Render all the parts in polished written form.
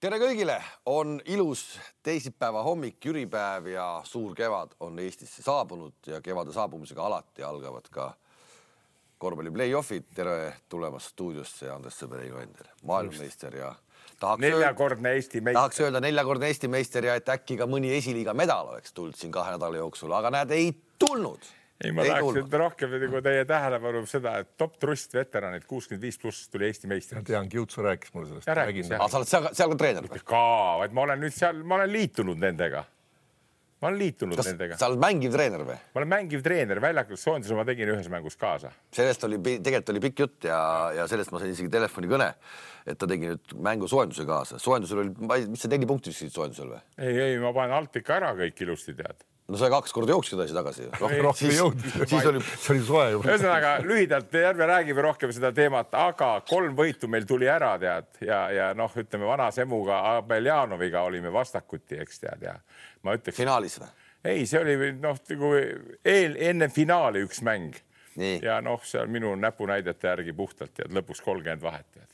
Tere kõigile! On ilus teisipäeva hommik, jüripäev ja suur kevad on Eestisse saabunud ja kevade saabumisega alati algavad ka korvpalli play-offid. Tere tulemast stuudiosse Andres Sõber, maailmameister ja neljakordne Eesti meister. Tahaks öelda neljakordne Eesti meister ja et äkki ka mõni esiliiga medal oleks tulnud siin 2 nädala jooksul, aga näed, ei tulnud. Ei, ma tahaks rohkem teie tähelepanu seda, et top trust veteranid 65+ tuli Eesti meister. Ma tean, Kiutsu rääkis mulle sellest. Aga sa oled seal ka treener? Vaid ma olen nüüd seal, ma olen liitunud nendega. Nendega. Sa oled mängiv treener või? Ma olen mängiv treener, väljakus soonduse ma tegin ühes mängus kaasa. Sellest tegelikult oli pikk jutt ja sellest ma sain isegi telefoni kõne, et ta tegi nüüd mängu soenduse kaasa. Soendusel oli, mis sa 4 punkti viskasid soendusel või? Ei, ma panen alt ikka ära kõik ilusti tead. No sa 2 korda jooksid edasi tagasi. Rohkem jõud. See oli soe juba. Ühesõnaga, lühidalt järve räägime rohkem seda teemat, aga 3 võitu meil tuli ära tead ja ütleme vana Semuga Abeljanoviga olime vastakuti, eks tead ja ma ütleks... Finaalis või? Ei, see oli enne finaali üks mäng. Nii. Ja see on minu näpunäidete järgi puhtalt tead, lõpuks 30 vahet tead.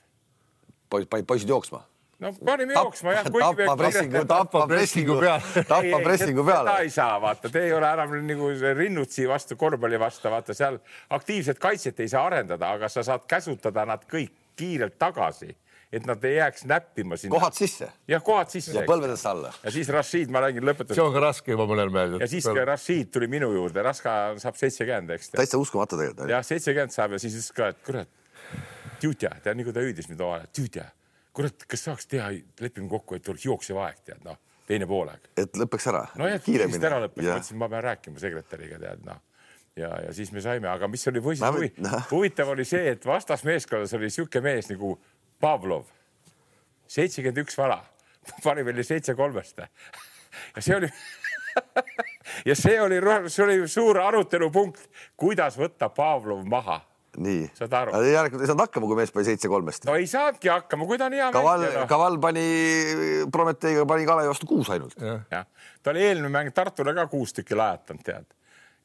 Poisid jooksma? No panime jooksma, jah. Tappa pressingu peale. Seda ei saa, vaata. Te ei ole enam nagu rinnutsi vastu, korvpalli vastu, vaata. Seal aktiivset kaitset ei saa arendada, aga sa saad käsutada nad kõik kiirelt tagasi, et nad ei jääks näppima sinna. Kohad sisse? Jah, kohad sisse. Ja põlvedest alla. Ja siis Rashid, ma räägin lõpetus. See on ka raske juba mõnel meeldib. Ja siis ka Rashid tuli minu juurde. Raska saab 70, eks. Täitsa uskumata tegelikult. Jah, 70 saab ja siis ka, et kurat, tüütja, tead, nagu ta hüüdis mind omale, tüütja. Kurat, kas saaks teha, lepime kokku, et oleks jooksev aeg, tead, teine poolaeg. Et lõpeks ära? No jah, kiiresti ära lõpeks. Mõtlesin, ma pean rääkima sekretäriga, tead, Ja siis me saime, aga mis oli huvitav oli see, et vastasmeeskonnas oli siuke mees nagu Pavlov. 71 vala. Pani veel 7-3. Ja see oli suur arutelupunkt, kuidas võtta Pavlov maha. Nii. Saad aru? Ei saanud hakkama, kui mees pani 7-3. No ei saadki hakkama, kui ta on hea mängija. Kaval pani Prometeiga Kalevi vastu 6 ainult. Ja. Ta oli eelmine mäng Tartule ka 6 tükki lajatanud, tead.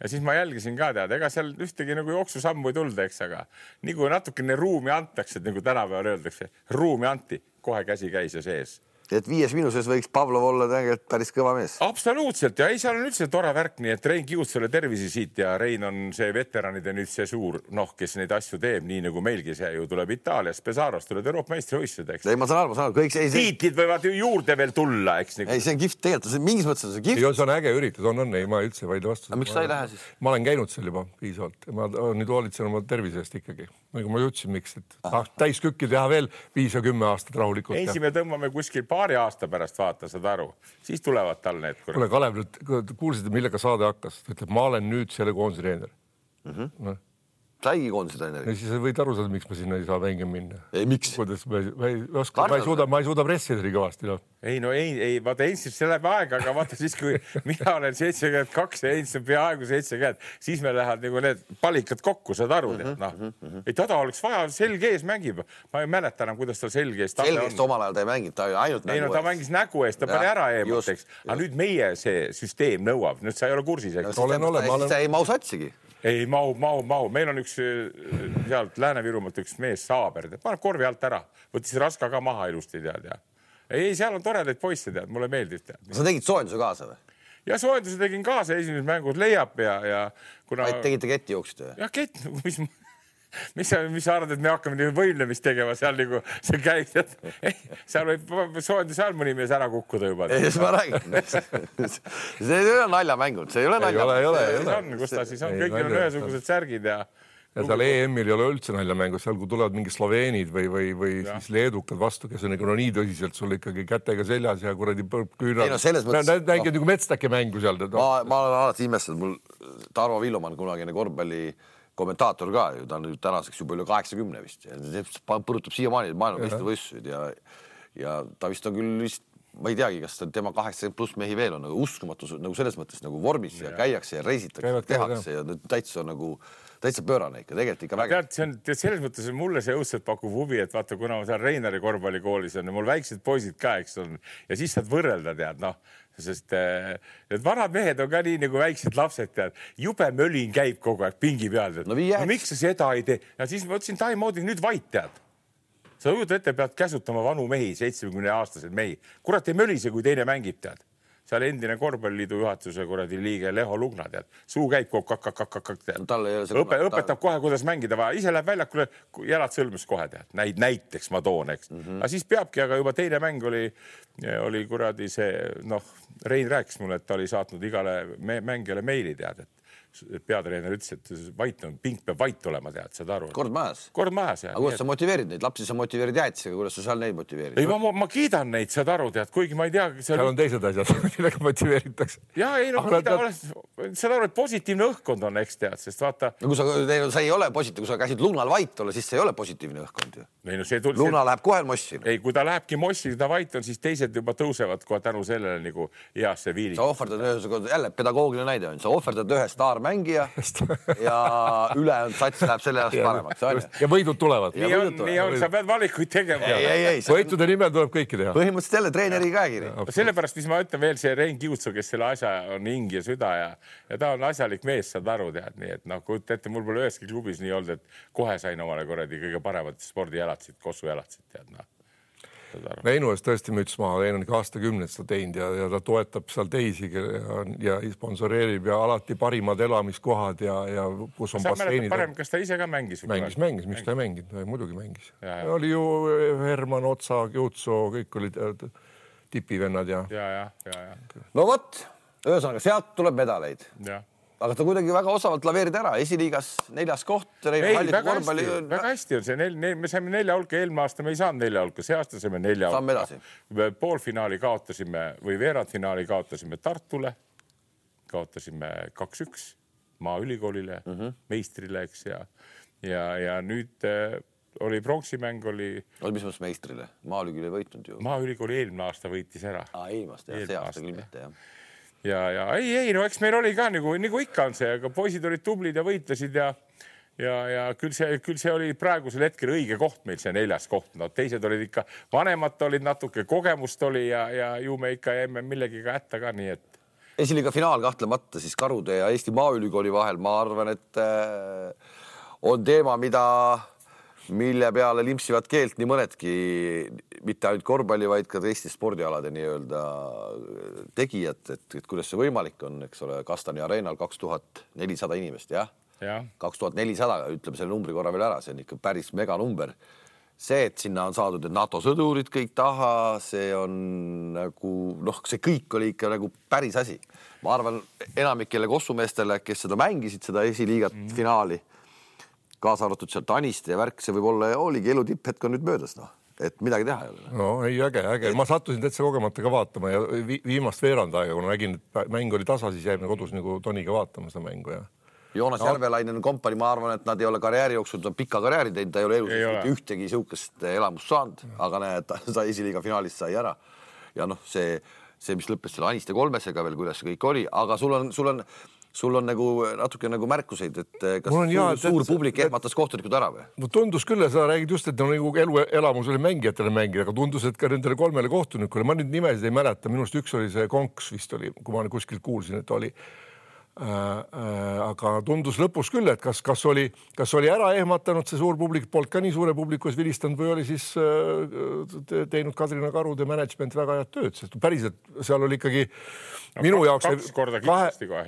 Ja siis ma jälgisin ka, tead, ega seal ühtegi nagu jooksusammu ei tulda, eks, aga nii kui natukene ruumi antakse, et nagu tänapäeval öeldakse, ruumi anti, kohe käsi käis ja sees. Et 5 minuses võiks Pavlov olla tegelikult päris kõva mees. Absoluutselt ja ei, seal on üldse tore värk, nii et Rein Kiutsale tervisi siit ja Rein on see veteranide nüüd see suur, kes neid asju teeb, nii nagu meilgi see ju tuleb Itaalias, Pesaros tuleb Euroopa meistrivõistlused, eks. Ei, ma saan aru, kõik see... Tiitlid võivad ju juurde veel tulla, eks. Ei, see on kihvt tegelikult, mingis mõttes on see kihvt. See on äge üritus, ei, ma üldse vaid vastu. Aga miks sa ei lähe siis? Ma olen käinud seal juba piisavalt. Ma nüüd hoolitsen oma tervisest ikkagi. Nagu ma jutsin, miks, et täiskükki teha veel 5 ja 10 aastat rahulikult. Ensi me tõmbame kuskil paari aasta pärast vaata, saad aru. Siis tulevad tal need. Kuule, Kalev, kuulsite, millega saade hakkas? Ütleb, ma olen nüüd selle koondise treener. Saigi koondise treener. Ja siis võid aru saada, miks ma sinna ei saa mängima minna. Ei, miks? Ma ei suuda pressida nii kõvasti. Ei, vaata, Ensis see läheb aega, aga vaata siis, kui mina olen 72 ja Ensis on peaaegu 70, siis me lähevad nagu need palikad kokku, saad aru. Ei, tada oleks vaja, selge ees mängib. Ma ei mäleta enam, kuidas tal selge ees selge eest omal ajal ta ei mänginud, ta ainult nägu eest. Ta mängis nägu eest, ta pani ära eemuteks. Aga nüüd meie see süsteem nõuab. Nüüd sa ei ole kursis. Ei mau satsigi. Ei, mau. Meil on üks sealt Lääne-Virumaalt üks mees Saaber. Paneb korvi alt ära. Võttis Raska ka maha ilusti, tead. Ei, seal on toredaid poisse, tead. Mulle meeldib, tead. Sa tegid soojenduse kaasa või? Ja soojenduse tegin kaasa esimeses mängus leiab ja kuna... Tegite ketti jooksite või? Ja kett, mis sa arvad, et me hakkame nii võimlemist tegema seal nagu see käib. Seal võib soojenduse all mõni mees ära kukkuda juba. Ei, ma räägin. See ei ole naljamängud, see ei ole naljamängud. See on, kus ta siis on, kõigil on ühesugused särgid ja seal EM-il ei ole üldse naljamängud, seal kui tulevad mingi sloveenid või siis leedukad vastu, kes on nii tõsiselt sul ikkagi kätega seljas ja kuradi küünal. Nägid nagu metstake mängu seal. Ma olen alati imestanud, mul Tarvo Villumann, kunagine korvpalli kommentaator ka ju, ta on nüüd tänaseks juba üle 80 vist. Põrutab siiamaani maailmameistrivõistlused ja ta vist on küll vist, ma ei teagi, kas tema 80+ mehi veel on uskumatu nagu selles mõttes nagu vormis ja käiakse ja reisitakse, tehakse ja täitsa pöörane ikka, tegelikult ikka väga. Tead, selles mõttes mulle see õudselt pakub huvi, et vaata, kuna ma seal Reinari korvpallikoolis on ja mul väiksed poisid ka, eks on, ja siis saad võrrelda, tead, sest need vanad mehed on ka nii nagu väiksed lapsed, tead, jube mölin käib kogu aeg pingi peal, tead. No miks sa seda ei tee? Ja siis ma ütlesin, Taimoodi nüüd vait, tead. sa kujutad ette, pead käsutama vanu mehi, 70-aastaseid mehi. Kurat ei mölise, kui teine mängib, tead. Seal endine korvpalliliidu juhatuse kuradi liige Leho Lugna, tead. Suu käib õpetab kohe, kuidas mängida vaja. Ise läheb väljakule, jalad sõlmus kohe, tead. Näiteks ma toon, eks. Aga siis peabki, aga juba teine mäng oli kuradi see, Rein rääkis mulle, et ta oli saatnud igale mängijale meili, tead, et peatreener ütles, et pink peab vait olema, tead, saad aru. Kord majas. Jah. Aga kuidas sa motiveerid neid? Lapsi sa motiveerid jäätisega, kuidas sa seal neid motiveerid? Ei, ma kiidan neid, saad aru, tead, kuigi ma ei tea. Seal on teised asjad, millega motiveeritakse. Ja ei, saad aru, et positiivne õhkkond on, eks tead, sest vaata. No kui sa ei ole positiivne, kui sa käisid Lugnal vait olla, siis see ei ole positiivne õhkkond ju. Lugna läheb kohe mossi. Ei, kui ta lähebki mossi, ta vait on, siis teised juba tõusevad kohe tänu sellele nagu heasse viili. Sa ohverdad jälle pedagoogiline näide on. Sa ohverdad ühe staarmängija ja ülejäänud sats läheb selle ajast paremaks. Ja võidud tulevad. Nii on, sa pead valikuid tegema. Võitude nimel tuleb kõiki teha. Põhimõtteliselt jälle treeneri käekiri. Sellepärast, mis ma ütlen veel, see Rein Kiutsu, kes selle asja on hing ja süda ja ta on asjalik mees, saad aru, tead. Nii et kujuta ette, mul pole üheski klubis nii olnud, et kohe sain omale korradi kõige paremat spordijalatsid, kossujalatsid, tead. Veinu eest tõesti müts maha, Veinu on ikka aastakümneid seda teinud ja ta toetab seal teisi ja sponsoreerib ja alati parimad elamiskohad ja kus on basseinid. Kas ta ise ka mängis? Mängis, miks ta ei mänginud? Muidugi mängis. Oli ju Herman, Otsa, Kiutsu, kõik olid tipivennad ja. No võt, ühesõnaga, sealt tuleb medaleid. Aga ta kuidagi väga osavalt laveerid ära. Esiliigas 4. koht. Väga hästi on see. Me saime 4 hulka, eelmine aasta me ei saanud 4 hulka. See aasta saime 4 hulka. Saame edasi. Poolfinaali kaotasime või veerandfinaali kaotasime Tartule. Kaotasime 2-1 Maaülikoolile, meistrile, eks. Ja nüüd oli pronksimäng, oli... Mis mõttes meistrile? Maaülikooli ei võitnud ju. Maaülikooli eelmine aasta võitis ära. Eelmast, see aasta küll mitte, jah. Ja ei, no eks meil oli ka nagu ikka on see, aga poisid olid tublid ja võitlesid ja küll see oli praegusel hetkel õige koht meil, see 4. koht. No teised olid ikka, vanemad olid natuke, kogemust oli ja ju me ikka jäime millegiga hätta ka, nii et. Esiliiga finaal kahtlemata siis Karude ja Eesti Maaülikooli vahel, ma arvan, et on teema, mille peale limpsivad keelt nii mõnedki, mitte ainult korvpalli, vaid ka teiste spordialade nii-öelda tegijad, et kuidas see võimalik on, eks ole, Kastani areenal 2400 inimest, jah? 2400, ütleme selle numbri korra veel ära, see on ikka päris meganumber. See, et sinna on saadud NATO sõdurid kõik taha, see on nagu, see kõik oli ikka nagu päris asi. Ma arvan, enamikele kossumeestele, kes seda mängisid, seda esiliigat finaali, kaasa arvatud seal Taniste ja värk, see võib olla, oligi elu tipphetk on nüüd möödas, et midagi teha ei ole. No ei, äge. Ma sattusin täitsa kogemata ka vaatama ja viimast veerand aega, kui nägin, et mäng oli tasa, siis jäime kodus nagu Toniga vaatama seda mängu. Ja. Joonas Järvelainen kompani, ma arvan, et nad ei ole karjääri jooksul pika karjääri teinud, ta ei ole elus ühtegi siukest elamust saanud, aga näed, ta esiliiga finaalist sai ära. Ja see, mis lõppes selle Aniste 3-sega veel, kuidas see kõik oli, aga sul on nagu natuke nagu märkuseid, et kas suur publik ehmatas kohtunikud ära või? No tundus küll, sa räägid just, et on nagu elamus oli mängijatele mängida, aga tundus, et ka nendele 3 kohtunikule, ma nüüd nimesid ei mäleta, minust üks oli see Konks vist oli, kui ma kuskilt kuulsin, et oli. Aga tundus lõpus küll, et kas oli ära ehmatanud see suur publik, polnud ka nii suure publikus vilistanud või oli siis teinud Kadrina Karude management väga head tööd, sest päriselt seal oli ikkagi minu jaoks 2 korda kindlasti kohe.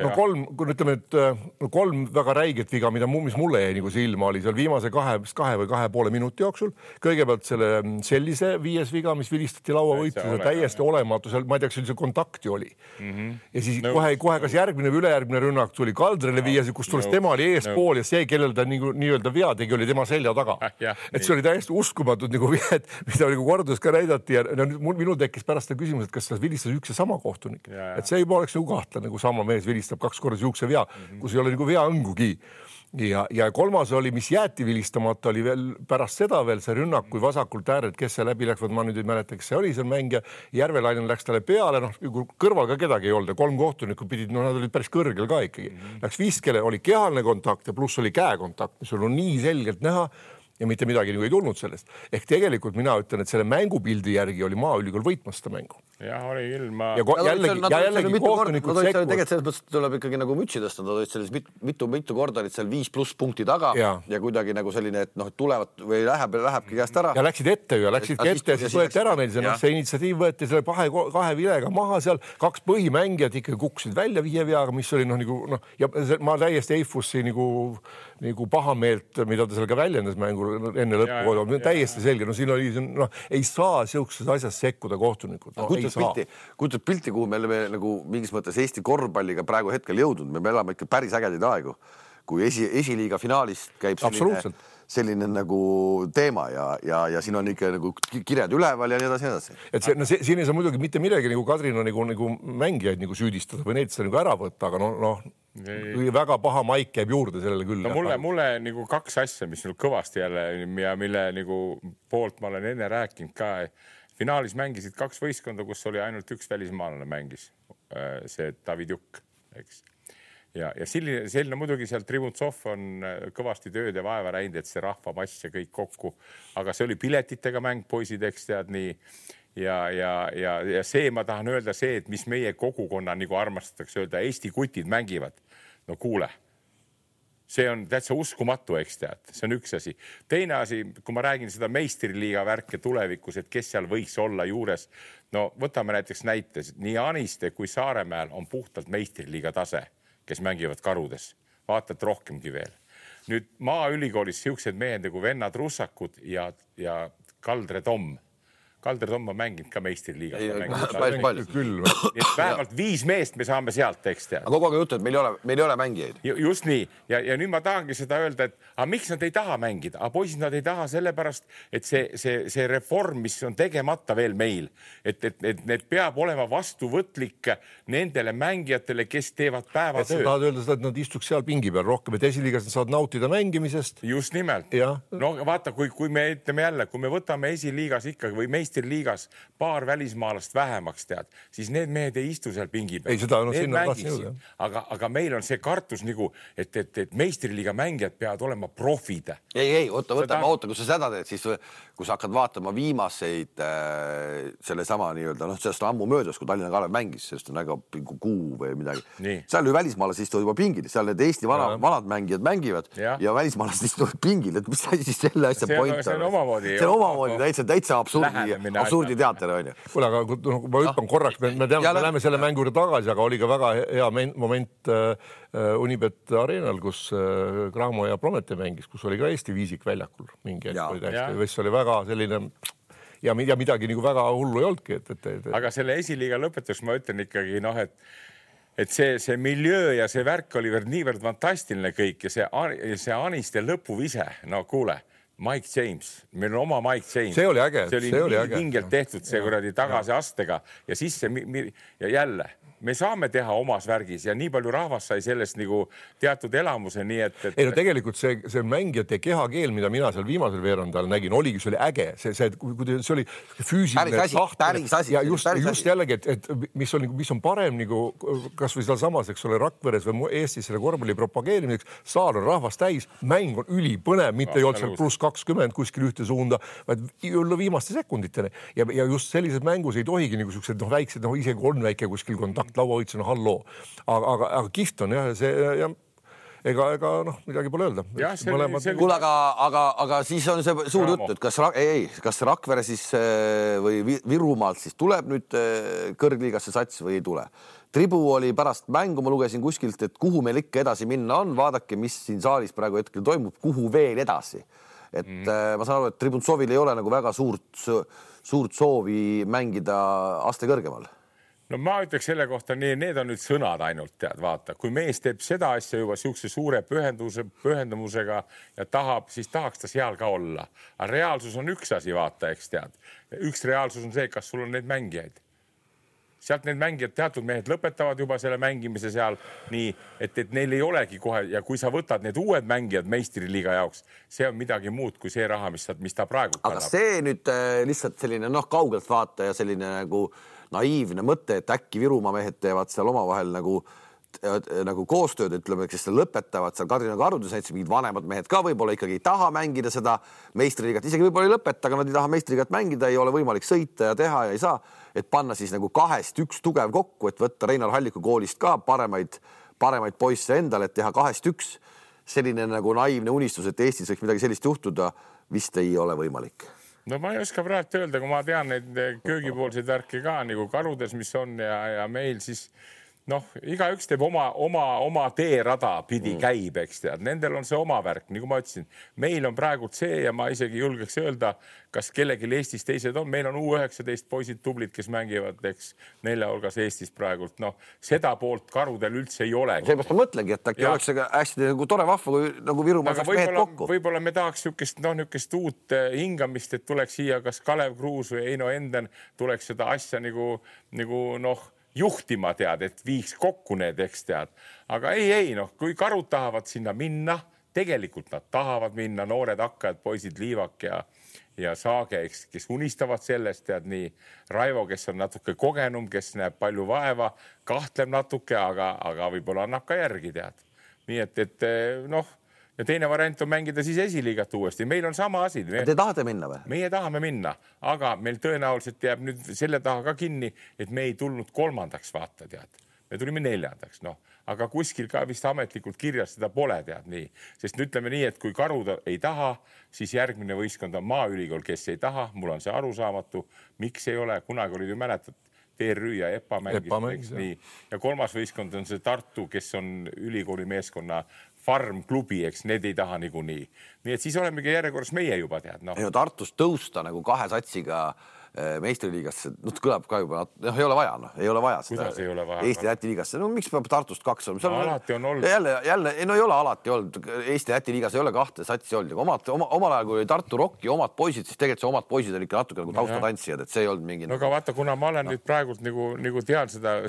Kolm väga räiget viga, mis mulle jäi nagu silma oli seal viimase 2 või 2,5 minuti jooksul. Kõigepealt sellise 5 viga, mis vilistati lauavõitluse täiesti olematu, seal, ma ei tea, kas see kontakti oli. Ja siis kohe kas järgmine või ülejärgmine rünnak tuli Kaldrele viies, kus tulles tema oli eespool ja see, kellel ta nii-öelda vea tegi, oli tema selja taga. Et see oli täiesti uskumatud nagu vied, mida nagu kordus ka näidati ja minul tekkis pärast seda küsimus, et kas ta vilistas üks ja sama kohtunik. Et see juba oleks nagu kahtle, nagu sama mees vilistab 2 korda siukse vea, kus ei ole nagu vea õngugi. Ja 3. oli, mis jäeti vilistamata, oli veel pärast seda veel see rünnak, kui vasakult ääred, kes see läbi läks, ma nüüd ei mäleta, kes see oli seal mängija. Järvelainen läks talle peale, kõrval ka kedagi ei olnud ja 3 kohtunikku pidid, nad olid päris kõrgel ka ikkagi. Läks viskele, oli kehalne kontakt ja pluss oli käekontakt, mis oli nii selgelt näha. ja mitte midagi nagu ei tulnud sellest. Ehk tegelikult mina ütlen, et selle mängupildi järgi oli Maaülikool võitmas seda mängu. Jah, oli ilma. Ja jällegi kohtunikud sekkuvad. Tegelikult selles mõttes tuleb ikkagi nagu mütsi tõsta, nad olid selles mitu korda olid seal 5+ punkti taga ja kuidagi nagu selline, et noh, tulevad või lähebki käest ära. Ja läksid ette ja siis võeti ära neil see initsiatiiv võeti selle kahe vilega maha seal, 2 põhimängijad ikkagi kukkusid välja 5 veaga, mis oli ja ma täiesti eifussi nagu pahameelt, mida ta seal ka väljendas mängul enne lõppu, täiesti selge. Siin oli, ei saa siukses asjas sekkuda kohtunikud. Kujutad pilti, kuhu me oleme nagu mingis mõttes Eesti korvpalliga praegu hetkel jõudnud. Me elame ikka päris ägedaid aegu, kui esiliiga finaalist käib selline nagu teema ja siin on ikka nagu kirjad üleval ja nii edasi. Et siin ei saa muidugi mitte midagi nagu Kadrina nagu mängijaid nagu süüdistada või neid seda nagu ära võtta, aga väga paha maik käib juurde sellele küll. No mulle nagu 2 asja, mis kõvasti jälle ja mille nagu poolt ma olen enne rääkinud ka. Finaalis mängisid 2 võistkonda, kus oli ainult 1 välismaalane mängis, see David Jukk, eks. Ja selline muidugi seal Tribuntsov on kõvasti tööd ja vaeva räinud, et see rahvamass ja kõik kokku, aga see oli piletitega mäng, poisid, eks tead nii. Ja see ma tahan öelda see, et mis meie kogukonna nagu armastatakse öelda, Eesti kutid mängivad. No kuule, see on täitsa uskumatu, eks tead, see on üks asi. Teine asi, kui ma räägin seda meistriliiga värke tulevikus, et kes seal võiks olla juures, no võtame näiteks näites, nii Aniste kui Saaremäel on puhtalt meistriliiga tase, kes mängivad Karudes. Vaatad rohkemgi veel. Nüüd Maaülikoolis siuksed mehed nagu Vennad Russakud ja Kaldre Tom. Kaldre Tom on mänginud ka meistriliigas. Vähemalt 5 meest me saame sealt, eks tead. Aga kogu aeg juttu, et meil ei ole mängijaid. Just nii. Ja nüüd ma tahangi seda öelda, et miks nad ei taha mängida? Poisid nad ei taha sellepärast, et see reform, mis on tegemata veel meil, et need peab olema vastuvõtlik nendele mängijatele, kes teevad päevatöö. Sa tahad öelda seda, et nad istuks seal pingi peal rohkem, et esiliigas nad saavad nautida mängimisest. Just nimelt. No vaata, kui me ütleme jälle, kui me võtame esiliigas ikkagi või meistriliigas paar välismaalast vähemaks tead, siis need mehed ei istu seal pingi peal. Ei, seda on sinna tahtsin. Aga meil on see kartus nagu, et meistriliiga mängijad peavad olema profid. Ei, oota, kui sa seda teed, siis kui sa hakkad vaatama viimaseid selle sama nii-öelda, sellest on ammu möödas, kui Tallinna Kalev mängis, sellest on väga kuu või midagi. Seal ju välismaalased istuvad juba pingil, seal need Eesti vanad mängijad mängivad ja välismaalased istuvad pingil, et mis siis selle asja point on? See on omamoodi täitsa absurdi teater on ju. Kuule, aga ma hüppan korraks, me läheme selle mängu juurde tagasi, aga oli ka väga hea moment Unibet Arenal, kus Graamo ja Promete mängis, kus oli ka Eesti viisik väljakul mingi hetk, mis oli väga selline ja midagi nagu väga hullu ei olnudki. Aga selle esiliiga lõpetus ma ütlen ikkagi, et see miljöö ja see värk oli niivõrd fantastiline kõik ja see Aniste lõpuvise, no kuule, Mike James, meil on oma Mike James. See oli äge. See oli hingelt tehtud see kuradi tagasi astega ja siis ja jälle me saame teha omas värgis ja nii palju rahvas sai sellest nagu teatud elamuse, nii et... Ei, no tegelikult see mängijate kehakeel, mida mina seal viimasel veerandal nägin, oligi, see oli äge. See oli füüsiline taht ja just jällegi, et mis on parem nagu, kas või seal samas, eks ole, Rakveres või Eestis selle korvpalli propageerimiseks, saal on rahvast täis, mäng on ülipõnev, mitte ei olnud seal +20 kuskil ühte suunda, vaid viimaste sekunditele. Ja just sellises mängus ei tohigi nagu sellised väiksed, isegi on väike kuskil kontakt lauahoidsena halloo. Aga kihvt on jah, see ja ega midagi pole öelda. Kuule, aga siis on see suur jutt, et kas Rakvere siis või Virumaalt siis tuleb nüüd kõrgliigasse sats või ei tule. Tribu oli pärast mängu, ma lugesin kuskilt, et kuhu meil ikka edasi minna on, vaadake, mis siin saalis praegu hetkel toimub, kuhu veel edasi. Et ma saan aru, et Tribuntsovil ei ole nagu väga suurt soovi mängida aste kõrgemal. No ma ütleks selle kohta, need on nüüd sõnad ainult, tead, vaata. Kui mees teeb seda asja juba siukse suure pühendumusega ja siis tahaks ta seal ka olla. Aga reaalsus on üks asi, vaata, eks tead. Üks reaalsus on see, kas sul on need mängijaid. Sealt need mängijad, teatud mehed lõpetavad juba selle mängimise seal nii, et neil ei olegi kohe ja kui sa võtad need uued mängijad meistriliiga jaoks, see on midagi muud kui see raha, mis ta praegu kannab. Aga see nüüd lihtsalt selline kaugelt vaata ja selline nagu naiivne mõte, et äkki Virumaa mehed teevad seal omavahel nagu nagu koostööd, ütleme, kes lõpetavad seal Kadrina Karudes, näiteks mingid vanemad mehed ka võib-olla ikkagi ei taha mängida seda meistriliigat, isegi võib-olla ei lõpeta, aga nad ei taha meistriliigat mängida, ei ole võimalik sõita ja teha ja ei saa, et panna siis nagu 2 üks tugev kokku, et võtta Reinar Halliku koolist ka paremaid poisse endale, et teha 2 üks. Selline nagu naiivne unistus, et Eestis võiks midagi sellist juhtuda, vist ei ole võimalik. No ma ei oska praegu öelda, kui ma tean neid köögipoolseid värki ka nagu Karudes, mis on ja meil siis igaüks teeb oma teerada pidi käib, eks tead. Nendel on see oma värk, nagu ma ütlesin. Meil on praegult see ja ma isegi julgeks öelda, kas kellelgi Eestis teised on. Meil on U19 poisid tublid, kes mängivad, eks, 4 hulgas Eestis praegult. Seda poolt Karudel üldse ei ole. Seepärast ma mõtlengi, et äkki oleks hästi nagu tore vahva, kui nagu Virumaal saaks mehed kokku. Võib-olla me tahaks niisugust uut hingamist, et tuleks siia kas Kalev Kruus või Eino Enden tuleks seda asja nagu juhtima tead, et viiks kokku need, eks tead. Aga ei, kui Karud tahavad sinna minna, tegelikult nad tahavad minna, noored hakkajad, poisid Liivak ja Saage, kes unistavad sellest, tead nii Raivo, kes on natuke kogenum, kes näeb palju vaeva, kahtleb natuke, aga võib-olla annab ka järgi, tead. Nii et ja teine variant on mängida siis esiliigat uuesti. Meil on sama asi. Te tahate minna või? Meie tahame minna, aga meil tõenäoliselt jääb nüüd selle taha ka kinni, et me ei tulnud 3. vaata, tead. Me tulime 4. Aga kuskil ka vist ametlikult kirjas seda pole, tead nii. Sest ütleme nii, et kui Karud ei taha, siis järgmine võistkond on Maaülikool, kes ei taha. Mul on see arusaamatu. Miks ei ole? Kunagi olid ju mäletad, TRÜ ja EPA mängis. Ja 3. võistkond on see Tartu, kes on ülikooli meeskonna farmklubi, eks, need ei taha niikuinii. Nii et siis olemegi järjekorras meie juba tead. Tartus tõusta nagu 2 satsiga meistriliigasse, kõlab ka juba, ei ole vaja, ei ole vaja seda Eesti-Läti liigasse. Miks peab Tartust 2 olema? Alati on olnud. Jälle, ei ole alati olnud. Eesti-Läti liigas ei ole 2 satsi olnud. Omal ajal, kui oli Tartu Rocki omad poisid, siis tegelikult see omad poisid oli ikka natuke nagu taustatantsijad, et see ei olnud mingi... No aga vaata, kuna ma olen nüüd praegult nagu tean seda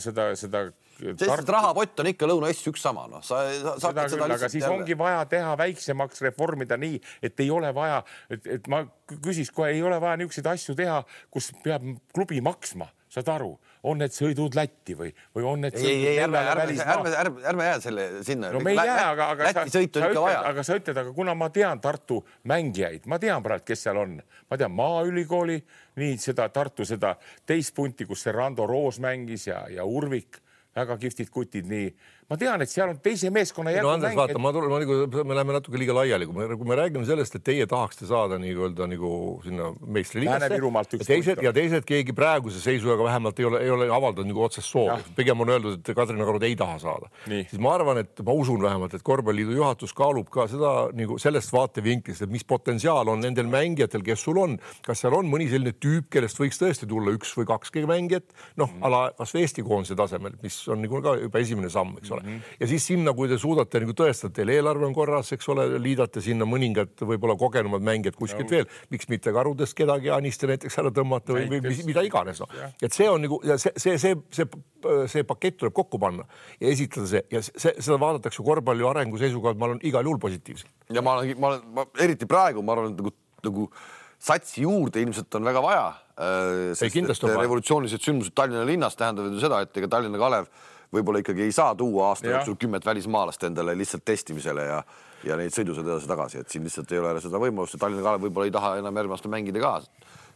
Sest rahapott on ikka Lõuna-Eestis üks sama. Aga siis ongi vaja teha väiksemaks, reformida nii, et ei ole vaja, et ma küsis kohe, ei ole vaja niisuguseid asju teha, kus peab klubi maksma, saad aru, on need sõidud Lätti või on need ärme jää selle sinna. No me ei jää, Läti sõitu on ikka vaja. Aga sa ütled, aga kuna ma tean Tartu mängijaid, ma tean praegu, kes seal on. Ma tean Maaülikooli, nii seda Tartu seda teispunti, kus see Rando Roos mängis ja Urvik, väga kihvtid kutid, nii. Ma tean, et seal on teise meeskonna järgi Andres, vaata, me läheme natuke liiga laiali, kui me räägime sellest, et teie tahaksite saada nii-öelda nagu sinna meistriliigasse ja teised keegi praeguse seisuga vähemalt ei ole avaldanud nagu otsest soovi. Pigem on öeldud, et Kadrina Karud ei taha saada. Siis ma arvan, et ma usun vähemalt, et Korvpalliliidu juhatus kaalub ka seda nagu sellest vaatevinklist, et mis potentsiaal on nendel mängijatel, kes sul on. Kas seal on mõni selline tüüp, kellest võiks tõesti tulla 1 või 2 mängijat, ala kas Eesti koondise tasemel, mis on nagu ka juba esimene samm, eks ole. Ja siis sinna, kui te suudate nagu tõestada, teil eelarve on korras, eks ole, liidate sinna mõningad võib-olla kogenumad mängijad kuskilt veel, miks mitte Karudest kedagi Aniste näiteks ära tõmmata või mida iganes. Et see on nagu, see pakett tuleb kokku panna ja esitada see ja seda vaadatakse korvpalli arengu seisuga, et ma olen igal juhul positiivselt. Ja ma eriti praegu, ma arvan, et nagu satsi juurde ilmselt on väga vaja, sest revolutsioonilised sündmused Tallinna linnas tähendavad ju seda, et ega Tallinna Kalev võib-olla ikkagi ei saa tuua aasta jooksul 10 välismaalast endale lihtsalt testimisele ja neid sõidused edasi tagasi, et siin lihtsalt ei ole seda võimalust ja Tallinna Kalev võib-olla ei taha enam järgmast mängida ka,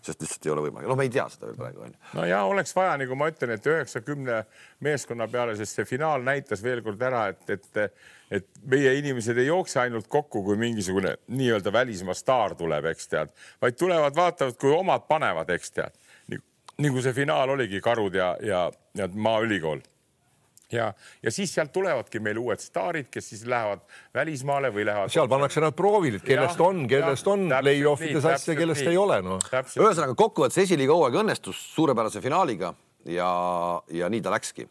sest lihtsalt ei ole võimalik. Me ei tea seda veel praegu. No ja oleks vaja, nagu ma ütlen, et 90 meeskonna peale, sest see finaal näitas veel kord ära, et meie inimesed ei jookse ainult kokku, kui mingisugune nii-öelda välismaa staar tuleb, eks tead, vaid tulevad, vaatavad, kui omad panevad, eks tead. Nagu see finaal oligi Karud ja Maaülikool. Ja siis sealt tulevadki meil uued staarid, kes siis lähevad välismaale või lähevad... Seal pannakse nad proovil, kellest on play-offides asja, kellest ei ole. Ühesõnaga kokkuvõttes esiliiga hooaeg õnnestus suurepärase finaaliga ja nii ta läkski.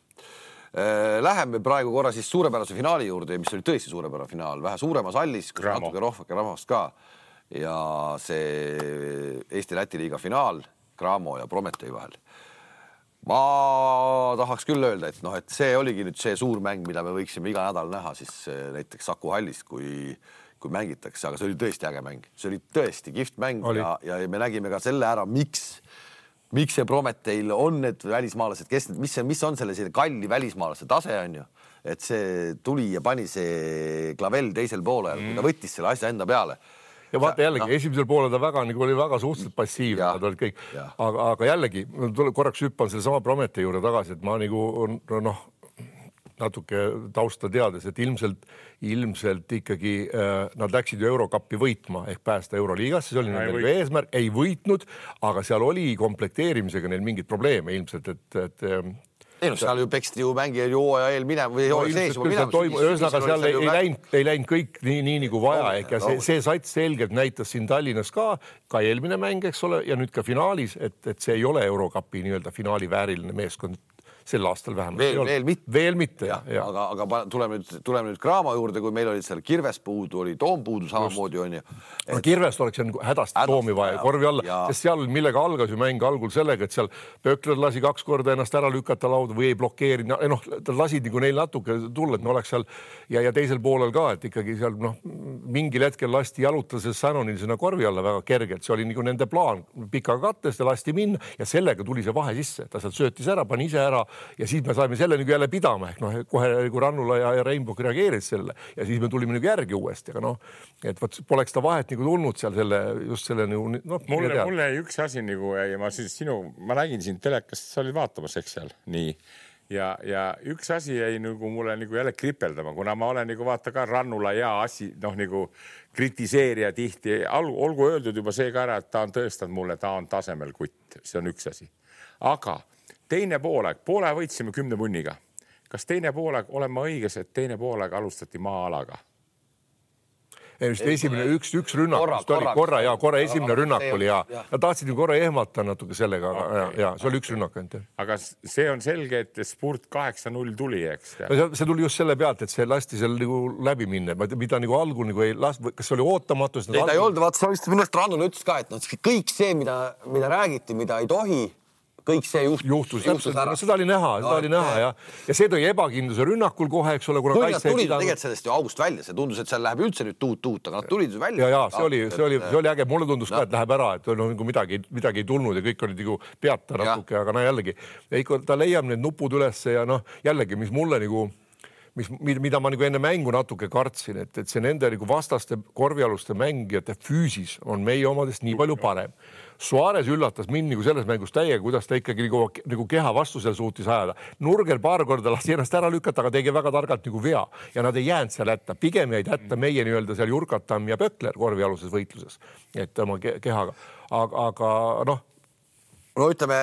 Läheme praegu korra siis suurepärase finaali juurde, mis oli tõesti suurepärane finaal, vähe suuremas hallis, kus natuke rohvake rahvast ka ja see Eesti-Läti liiga finaal Cramo ja Prometee vahel. Ma tahaks küll öelda, et see oligi nüüd see suur mäng, mida me võiksime iga nädal näha siis näiteks Saku hallis, kui mängitakse, aga see oli tõesti äge mäng. See oli tõesti kihvt mäng ja me nägime ka selle ära, miks miks see Prometeil on need välismaalased, kes need, mis on selle kalli välismaalase tase on ju, et see tuli ja pani see Clavel teisel poolel, kui ta võttis selle asja enda peale. Ja vaata jällegi, esimesel poolel ta oli väga suhteliselt passiivne, nad olid kõik. Aga jällegi, korraks hüppan selle sama Prometei juurde tagasi, et ma natuke tausta teades, et ilmselt ikkagi nad läksid ju Eurokappi võitma ehk päästa Euroliigasse, see oli nendel eesmärk, ei võitnud, aga seal oli komplekteerimisega neil mingid probleeme ilmselt, et seal ju peksti ju mängijad ju hooaja eel minema või hooaja sees juba minema. Ühesõnaga seal ei läinud kõik nii nagu vaja ehk ja see sats selgelt näitas siin Tallinnas ka eelmine mäng, eks ole, ja nüüd ka finaalis, et see ei ole Eurokapi nii-öelda finaali vääriline meeskond sel aastal vähemalt. Veel mitte. Aga tuleme nüüd Graamo juurde, kui meil olid seal Kirves puudu, oli Toom puudu samamoodi on ju. Kirvest oleks hädasti Toomi vaja korvi alla, sest seal millega algas ju mäng algul sellega, et seal Pökler lasi 2 korda ennast ära lükata lauda või ei blokeerinud. Ta lasid nagu neil natuke tulla, et me oleks seal ja teisel poolel ka, et ikkagi seal mingil hetkel lasti jalutas Sannonil sinna korvi alla väga kergelt. See oli nagu nende plaan pika kattest ja lasti minna ja sellega tuli see vahe sisse. Ta sealt söötis ära, pani ise ära ja siis me saime selle nagu jälle pidama ehk kohe kui Rannula ja Reinbok reageerid selle ja siis me tulime nagu järgi uuesti, aga et poleks ta vahet nagu tulnud seal just selle mulle üks asi nagu ja ma nägin siin telekast, sa olid vaatamas, eks seal nii ja üks asi jäi nagu mulle nagu jälle kripeldama, kuna ma olen nagu vaata ka Rannula ja asi nagu kritiseerija tihti, olgu öeldud juba see ka ära, et ta on tõestanud mulle, ta on tasemel kutt, see on üks asi, aga teine pooleg, poole võitsime 10 punniga. Kas teine pooleg, olen ma õiges, et teine pooleg alustati maa-alaga? Esimene üks rünnak, korra esimene rünnak oli ja tahtsid ju korra ehmata natuke sellega, ja see oli üks rünnak. Aga see on selge, et spurt 8-0 tuli, eks? See tuli just selle pealt, et see lasti seal nagu läbi minna, mida nagu algul nagu ei last, kas see oli ootamatu? Ei, ta ei olnud, vaata, sa vist minust Rannul ütles ka, et kõik see, mida räägiti, mida ei tohi, kõik see juhtus ära. Seda oli näha ja see tõi ebakindluse rünnakul kohe, eks ole. Kui nad tulid tegelikult sellest ju august välja, see tundus, et seal läheb üldse nüüd tuut, aga nad tulid välja. Ja see oli äge, mulle tundus ka, et läheb ära, et midagi ei tulnud ja kõik olid nagu peata natuke, aga jällegi, ta leiab need nupud üles ja jällegi, mis mulle nagu mida ma nagu enne mängu natuke kartsin, et see nende nagu vastaste korvialuste mängijate füüsis on meie omadest nii palju parem. Suarez üllatas mind nagu selles mängus täiega, kuidas ta ikkagi nagu keha vastu seal suutis ajada. Nurger paar korda lasti ennast ära lükata, aga tegi väga targalt nagu vea ja nad ei jäänud seal hätta. Pigem jäid hätta meie nii-öelda seal Jurkatam ja Pökler korvialuses võitluses, et oma kehaga. Aga No ütleme,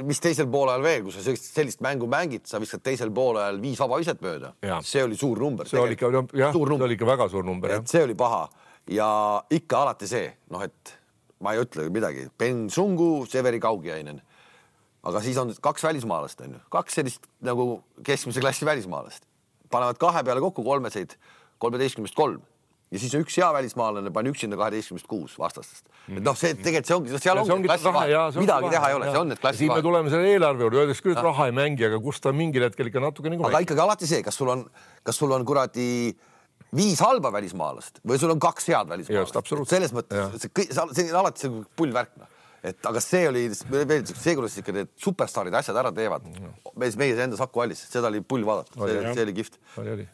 mis teisel poolel veel, kui sa sellist mängu mängid, sa viskad teisel poolel 5 vabaviset mööda. See oli suur number. See oli ikka väga suur number. See oli paha ja ikka alati see, et ma ei ütle midagi. Ben Sungu, Severi Kaugiainen. Aga siis on 2 välismaalast, on ju. 2 sellist nagu keskmise klassi välismaalast. Panevad 2 peale kokku 13-3. Ja siis üks hea välismaalane pani üksinda 12-6 vastastest. Et see tegelikult seal ongi klassi vahe. Midagi teha ei ole, see on need klassi vahe. Siin me tuleme selle eelarve juurde, öeldes küll, et raha ei mängi, aga kus ta mingil hetkel ikka natuke nagu aga ikkagi alati see, kas sul on kuradi 5 halba välismaalast või sul on 2 head välismaalast. Selles mõttes, see on alati see pullvärk. Aga see oli veel see, kuidas ikka need superstaarid asjad ära teevad. Meie enda Saku Allis, seda oli pull vaadata. See oli kihvt.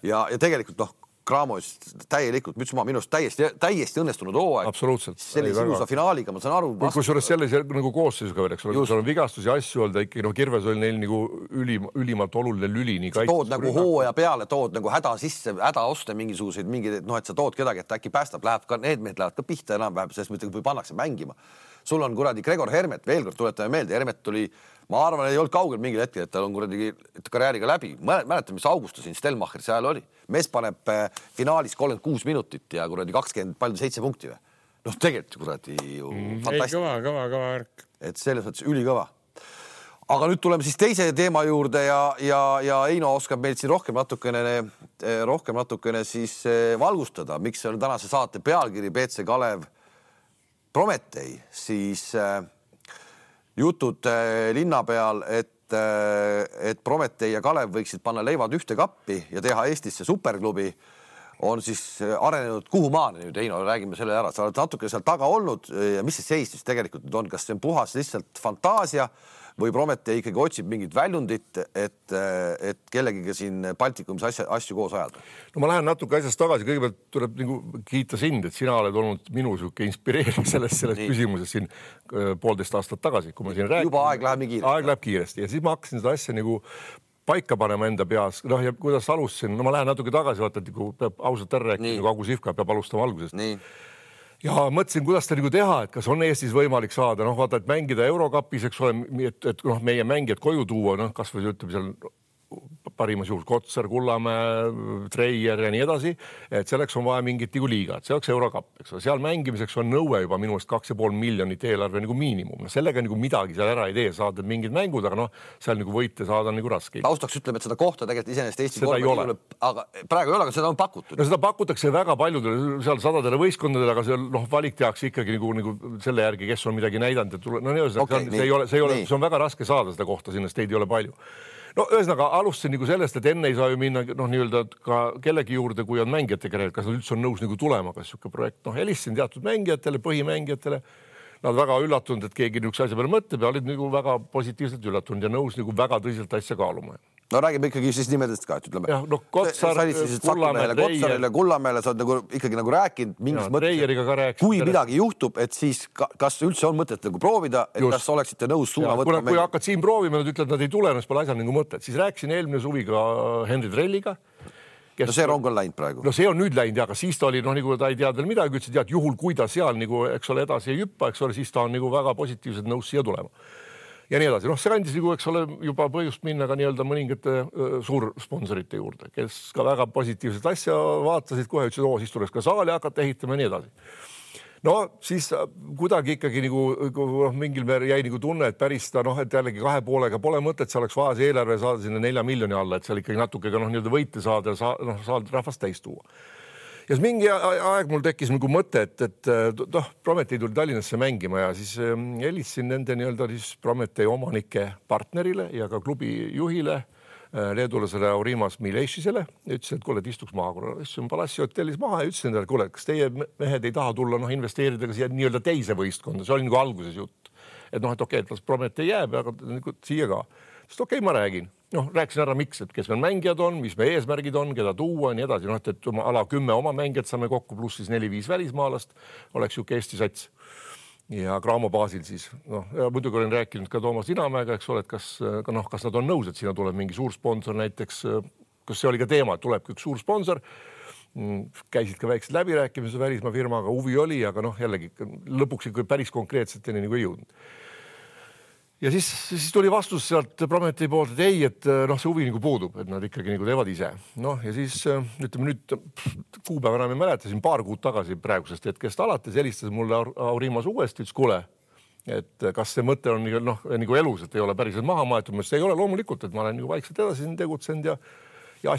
Ja tegelikult Graamos täielikult, minust täiesti õnnestunud hooaeg. Absoluutselt. Sellise ilusa finaaliga, ma saan aru. Kusjuures sellise nagu koosseisuga veel, eks ole, kus on vigastus ja asju olnud, ikkagi Kirves oli neil nagu ülimalt oluline lüli. Tood nagu hooaja peale, tood nagu häda sisse, häda osta mingisuguseid, et sa tood kedagi, et äkki päästab, need mehed lähevad ka pihta enam-vähem, sest mõtlegi, kui pannakse mängima. Sul on kuradi Gregor Hermet, veel kord tuletame meelde, Hermet tuli, ma arvan, ei olnud kaugel mingil hetkel, et tal on kuradi karjääriga läbi. Mäletan, mis Augusta siin Stelmacher seal oli. Mees paneb finaalis 36 minutit ja kuradi 27 punkti või. Tegelikult kuradi ju fantastika. Kõva värk. Et selles mõttes ülikõva. Aga nüüd tuleme siis teise teema juurde ja Eino oskab meil siin rohkem natukene siis valgustada, miks on tänase saate pealkiri BC Kalev Prometei, siis jutud linna peal, et Prometei ja Kalev võiksid panna leivad ühte kappi ja teha Eestisse superklubi, on siis arenenud kuhu maani nüüd, Heino, räägime selle ära, sa oled natuke seal taga olnud ja mis see seis siis tegelikult nüüd on, kas see on puhas lihtsalt fantaasia või Prometee ikkagi otsib mingit väljundit, et kellegiga siin Baltikumis asju koos ajada? No ma lähen natuke asjast tagasi, kõigepealt tuleb nagu kiita sind, et sina oled olnud minu suke inspireeriv selles küsimuses siin 1,5 aastat tagasi, kui ma siin räägin. Juba aeg läheb nii kiiresti. Aeg läheb kiiresti ja siis ma hakkasin seda asja nagu paika panema enda peas, noh ja kuidas alustasin, no ma lähen natuke tagasi, vaata, et kui peab ausalt ära rääkida, nagu Agu Sihvka peab alustama algusest. Nii. Ja mõtlesin, kuidas ta nagu teha, et kas on Eestis võimalik saada, noh vaata, et mängida Eurokapis, eks ole, et noh, meie mängijad koju tuua, noh kas või ütleme seal parimas juhul Kotsar, Kullamäe, Treier ja nii edasi, et selleks on vaja mingit nagu liigat, see oleks Eurokapp, eks ole, seal mängimiseks on nõue juba minu eest 2,5 miljonit eelarve nagu miinimum, no sellega nagu midagi seal ära ei tee, saad mingid mängud, aga noh, seal nagu võite saada nagu raske. Taustaks ütleme, et seda kohta tegelikult iseenesest Eesti korvpalli aga praegu ei ole, aga seda on pakutud. No seda pakutakse väga paljudele seal sadadele võistkondadele, aga seal noh, valik tehakse ikkagi nagu selle järgi, kes on midagi näidanud, et no see on väga raske saada seda kohta, sinna teid ei ole palju. No ühesõnaga alustasin nagu sellest, et enne ei saa ju minna noh, nii-öelda ka kellegi juurde, kui on mängijate kerel, kas nad üldse on nõus nagu tulema, kas siuke projekt, noh, helistasin teatud mängijatele, põhimängijatele, nad väga üllatunud, et keegi niisuguse asja peale mõtleb ja olid nagu väga positiivselt üllatunud ja nõus nagu väga tõsiselt asja kaaluma. No räägime ikkagi siis nimedest ka, et ütleme. Jah, no Kotsar, Kullamäele sa oled nagu ikkagi nagu rääkinud mingis mõttes, kui midagi juhtub, et siis kas üldse on mõtet nagu proovida, et kas oleksite nõus suuna võtma? Kui hakkad siin proovima, nad ütlevad, nad ei tule, pole asjal nagu mõtet. Siis rääkisin eelmine suvi ka Henri Trelliga. No see rong on läinud praegu. No see on nüüd läinud, aga siis ta oli, noh, nagu ta ei teadnud midagi, ütles, et juhul kui ta seal nagu, eks ole, edasi ei hüppa, eks ole, siis ta on nagu väga positiivselt nõus siia tulema. Ja nii edasi. Noh, see andis nagu, eks ole, juba põhjust minna ka nii-öelda mõningate suursponsorite juurde, kes ka väga positiivset asja vaatasid, kohe ütlesid, siis tuleks ka saali hakata ehitama ja nii edasi. No siis kuidagi ikkagi nagu mingil määral jäi nagu tunne, et päris ta, noh, et jällegi 2,5 pole mõtet, see oleks vaja see eelarve saada sinna 4 miljoni alla, et seal ikkagi natuke ka noh, nii-öelda võite saada ja saada rahvast täis tuua. Ja siis mingi aeg mul tekkis nagu mõte, et noh, Prometee tuli Tallinnasse mängima ja siis helistasin nende nii-öelda siis Prometee omanike partnerile ja ka klubi juhile, leedulasele Aurimas Milešisele, ütlesin, et kuule, et istuks maha, kuna istusin Palassi hotellis maha ja ütlesin endale, kuule, kas teie mehed ei taha tulla, noh, investeerida ka siia nii-öelda teise võistkonda, see oli nagu alguses jutt. Et noh, et okei, et las Prometee jääb, aga siia ka. Sest okei, ma räägin. Noh, rääkisin ära, miks, et kes meil mängijad on, mis meie eesmärgid on, keda tuua ja nii edasi. Noh, et ala 10 oma mängijad saame kokku, pluss siis 4-5 välismaalast, oleks ju Eesti sats. Ja Graamo baasil siis. Noh, ja muidugi olen rääkinud ka Toomas Inamäega, eks ole, et kas nad on nõus, et sinna tuleb mingi suur sponsor näiteks, kas see oli ka teema, et tulebki üks suur sponsor. Käisid ka väiksed läbirääkimised välismaa firmaga, huvi oli, aga noh, jällegi lõpuks ikka päris konkreetseteni nagu ei jõudnud. Ja siis tuli vastus sealt Prometee poolt, et ei, et noh, see huvi nagu puudub, et nad ikkagi nagu teevad ise. Noh, ja siis ütleme nüüd kuupäeva enam ei mäleta, siin paar kuud tagasi praegusest hetkest alates helistas mulle Aurimas uuesti, ütles kuule, et kas see mõte on noh, nagu elus, et ei ole päriselt maha maetud, see ei ole loomulikult, et ma olen nagu vaikselt edasi tegutsenud ja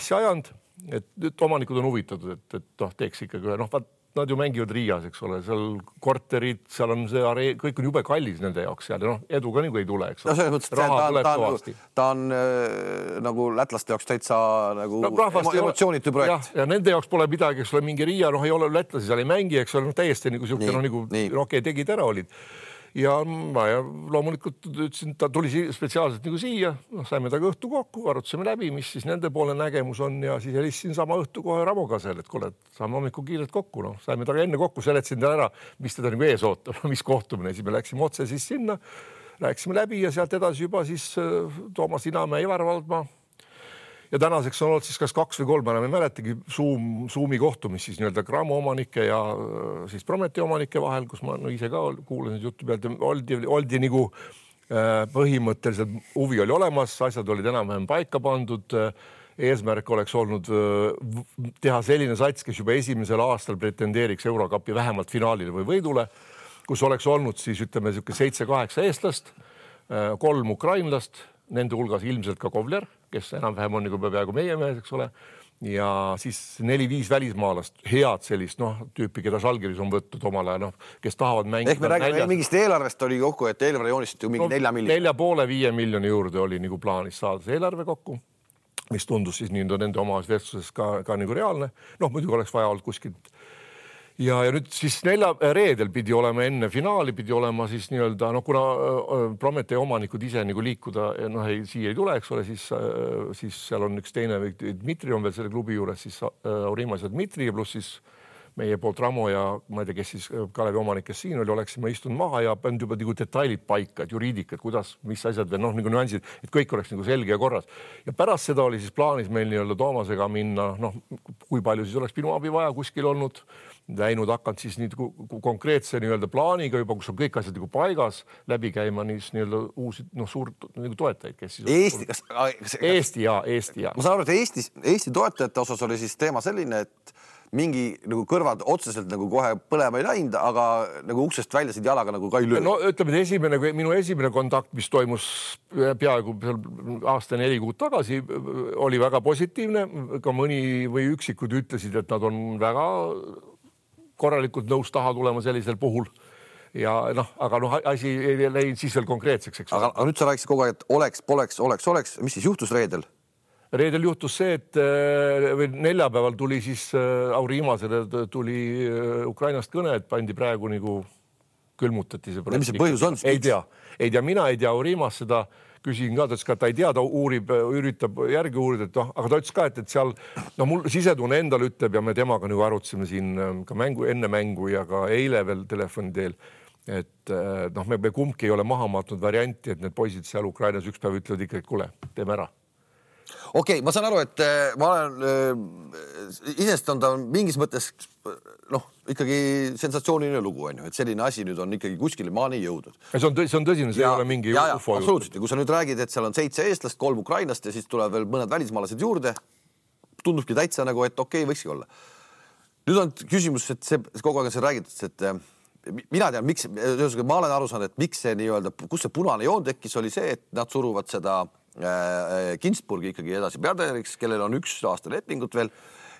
asja ajanud, et nüüd omanikud on huvitatud, et noh, teeks ikkagi ühe, noh, nad ju mängivad Riias, eks ole, seal korterid, seal on see kõik on jube kallis nende jaoks seal ja noh, edu ka nagu ei tule, eks ole. No selles mõttes, ta on nagu lätlaste jaoks täitsa nagu emotsioonitu projekt. Ja nende jaoks pole midagi, eks ole, mingi Riia, noh, ei ole lätlasi, seal ei mängi, eks ole, noh, täiesti nagu siuke, noh, nagu okei, tegid ära olid. Ja ma loomulikult ütlesin, ta tuli spetsiaalselt nagu siia, noh, saime taga õhtu kokku, arutasime läbi, mis siis nende poole nägemus on ja siis helistasin sama õhtu kohe Ramo Kasel, et kuule, saame hommikul kiirelt kokku, noh, saime taga enne kokku, seletasin ta ära, mis teda nagu ees ootab, mis kohtumine, siis me läksime otse siis sinna, rääkisime läbi ja sealt edasi juba siis Toomas Inamäe, Ivar Valdmaa. Ja tänaseks on olnud siis kas 2 või 3, enam ei mäletagi Zoomi kohtumis siis nii-öelda Graamo omanike ja siis Prometee omanike vahel, kus ma ise ka kuulasin juttu pealt ja oldi nagu põhimõtteliselt huvi oli olemas, asjad olid enam-vähem paika pandud, eesmärk oleks olnud teha selline sats, kes juba esimesel aastal pretendeeriks Eurokapi vähemalt finaalile või võidule, kus oleks olnud siis ütleme 7-8 eestlast, 3 ukrainlast, nende hulgas ilmselt ka Kovler, kes enam-vähem on nagu peaaegu meie mees, eks ole, ja siis 4-5 välismaalast, head sellist tüüpi, keda Žalgiris on võttud omal ajal, kes tahavad mängida. Ehk me räägime mingist eelarvest oli kokku, et eelarve joonistati ju mingi 4 miljoni. 4,5-5 miljoni juurde oli nagu plaanis saada see eelarve kokku. mis tundus siis nende omas vestluses ka nagu reaalne. Noh, muidugi oleks vaja olnud kuskilt. Ja nüüd siis reedel pidi olema enne finaali, pidi olema siis nii-öelda, kuna Prometee omanikud ise nagu liikuda, siia ei tule, eks ole, siis seal on üks teine, Dmitri on veel selle klubi juures, siis Aurimas ja Dmitri ja pluss siis meie poolt Ramo ja ma ei tea, kes siis Kalevi omanik, kes siin oli, oleksime istunud maha ja pannud juba nagu detailid paika, et juriidikad, kuidas, mis asjad veel, nagu nüansid, et kõik oleks nagu selge ja korras. Ja pärast seda oli siis plaanis meil nii-öelda Toomasega minna, kui palju siis oleks minu abi vaja kuskil olnud, läinud hakanud siis nii konkreetse nii-öelda plaaniga juba, kus on kõik asjad nagu paigas läbi käima nii-öelda uusi suurt nagu toetajaid, kes siis Eesti ja. Ma saan aru, et Eesti toetajate osas oli siis teema selline, et mingi nagu kõrvad otseselt nagu kohe põlema ei läinud, aga nagu uksest välja siit jalaga nagu ka ei löö. No ütleme, et minu esimene kontakt, mis toimus peaaegu aasta 4 kuud tagasi, oli väga positiivne. Ka mõni või üksikud ütlesid, et nad on väga korralikult nõus taha tulema sellisel puhul. Ja aga asi ei läinud siis veel konkreetseks, eks. Aga nüüd sa rääkisid kogu aeg, et oleks. Mis siis juhtus reedel? Reedel juhtus see, et neljapäeval tuli siis Aurimasele tuli Ukrainast kõne, et pandi praegu nagu külmutati see. Mis see põhjus on? Ei tea, mina ei tea Aurimas seda, küsin ka, ta ei tea, ta üritab järgi uurida, et aga ta ütles ka, et seal, mul sisetunne endal ütleb ja me temaga nagu arutasime siin ka enne mängu ja ka eile veel telefoni teel, et me kumbki ei ole maha matnud varianti, et need poisid seal Ukrainas üks päev ütlevad ikka, et kuule, teeme ära. Okei, ma saan aru, et ma olen, isest on ta mingis mõttes ikkagi sensatsiooniline lugu, et selline asi nüüd on ikkagi kuskile maani jõudnud. See on tõsine, see ei ole mingi ufo. Absoluutselt, kui sa nüüd räägid, et seal on 7 eestlast, 3 Ukrainast ja siis tuleb veel mõned välismaalased juurde, tundubki täitsa nagu, et okei, võikski olla. Nüüd on küsimus, et see kogu aeg on see räägitud, et mina tean, miks, ma olen aru saanud, et miks see nii-öelda, kus see punane joon tekkis, oli see, et nad suruvad seda Kinsburgi ikkagi edasi peatreeneriks, kellel on 1 aasta lepingut veel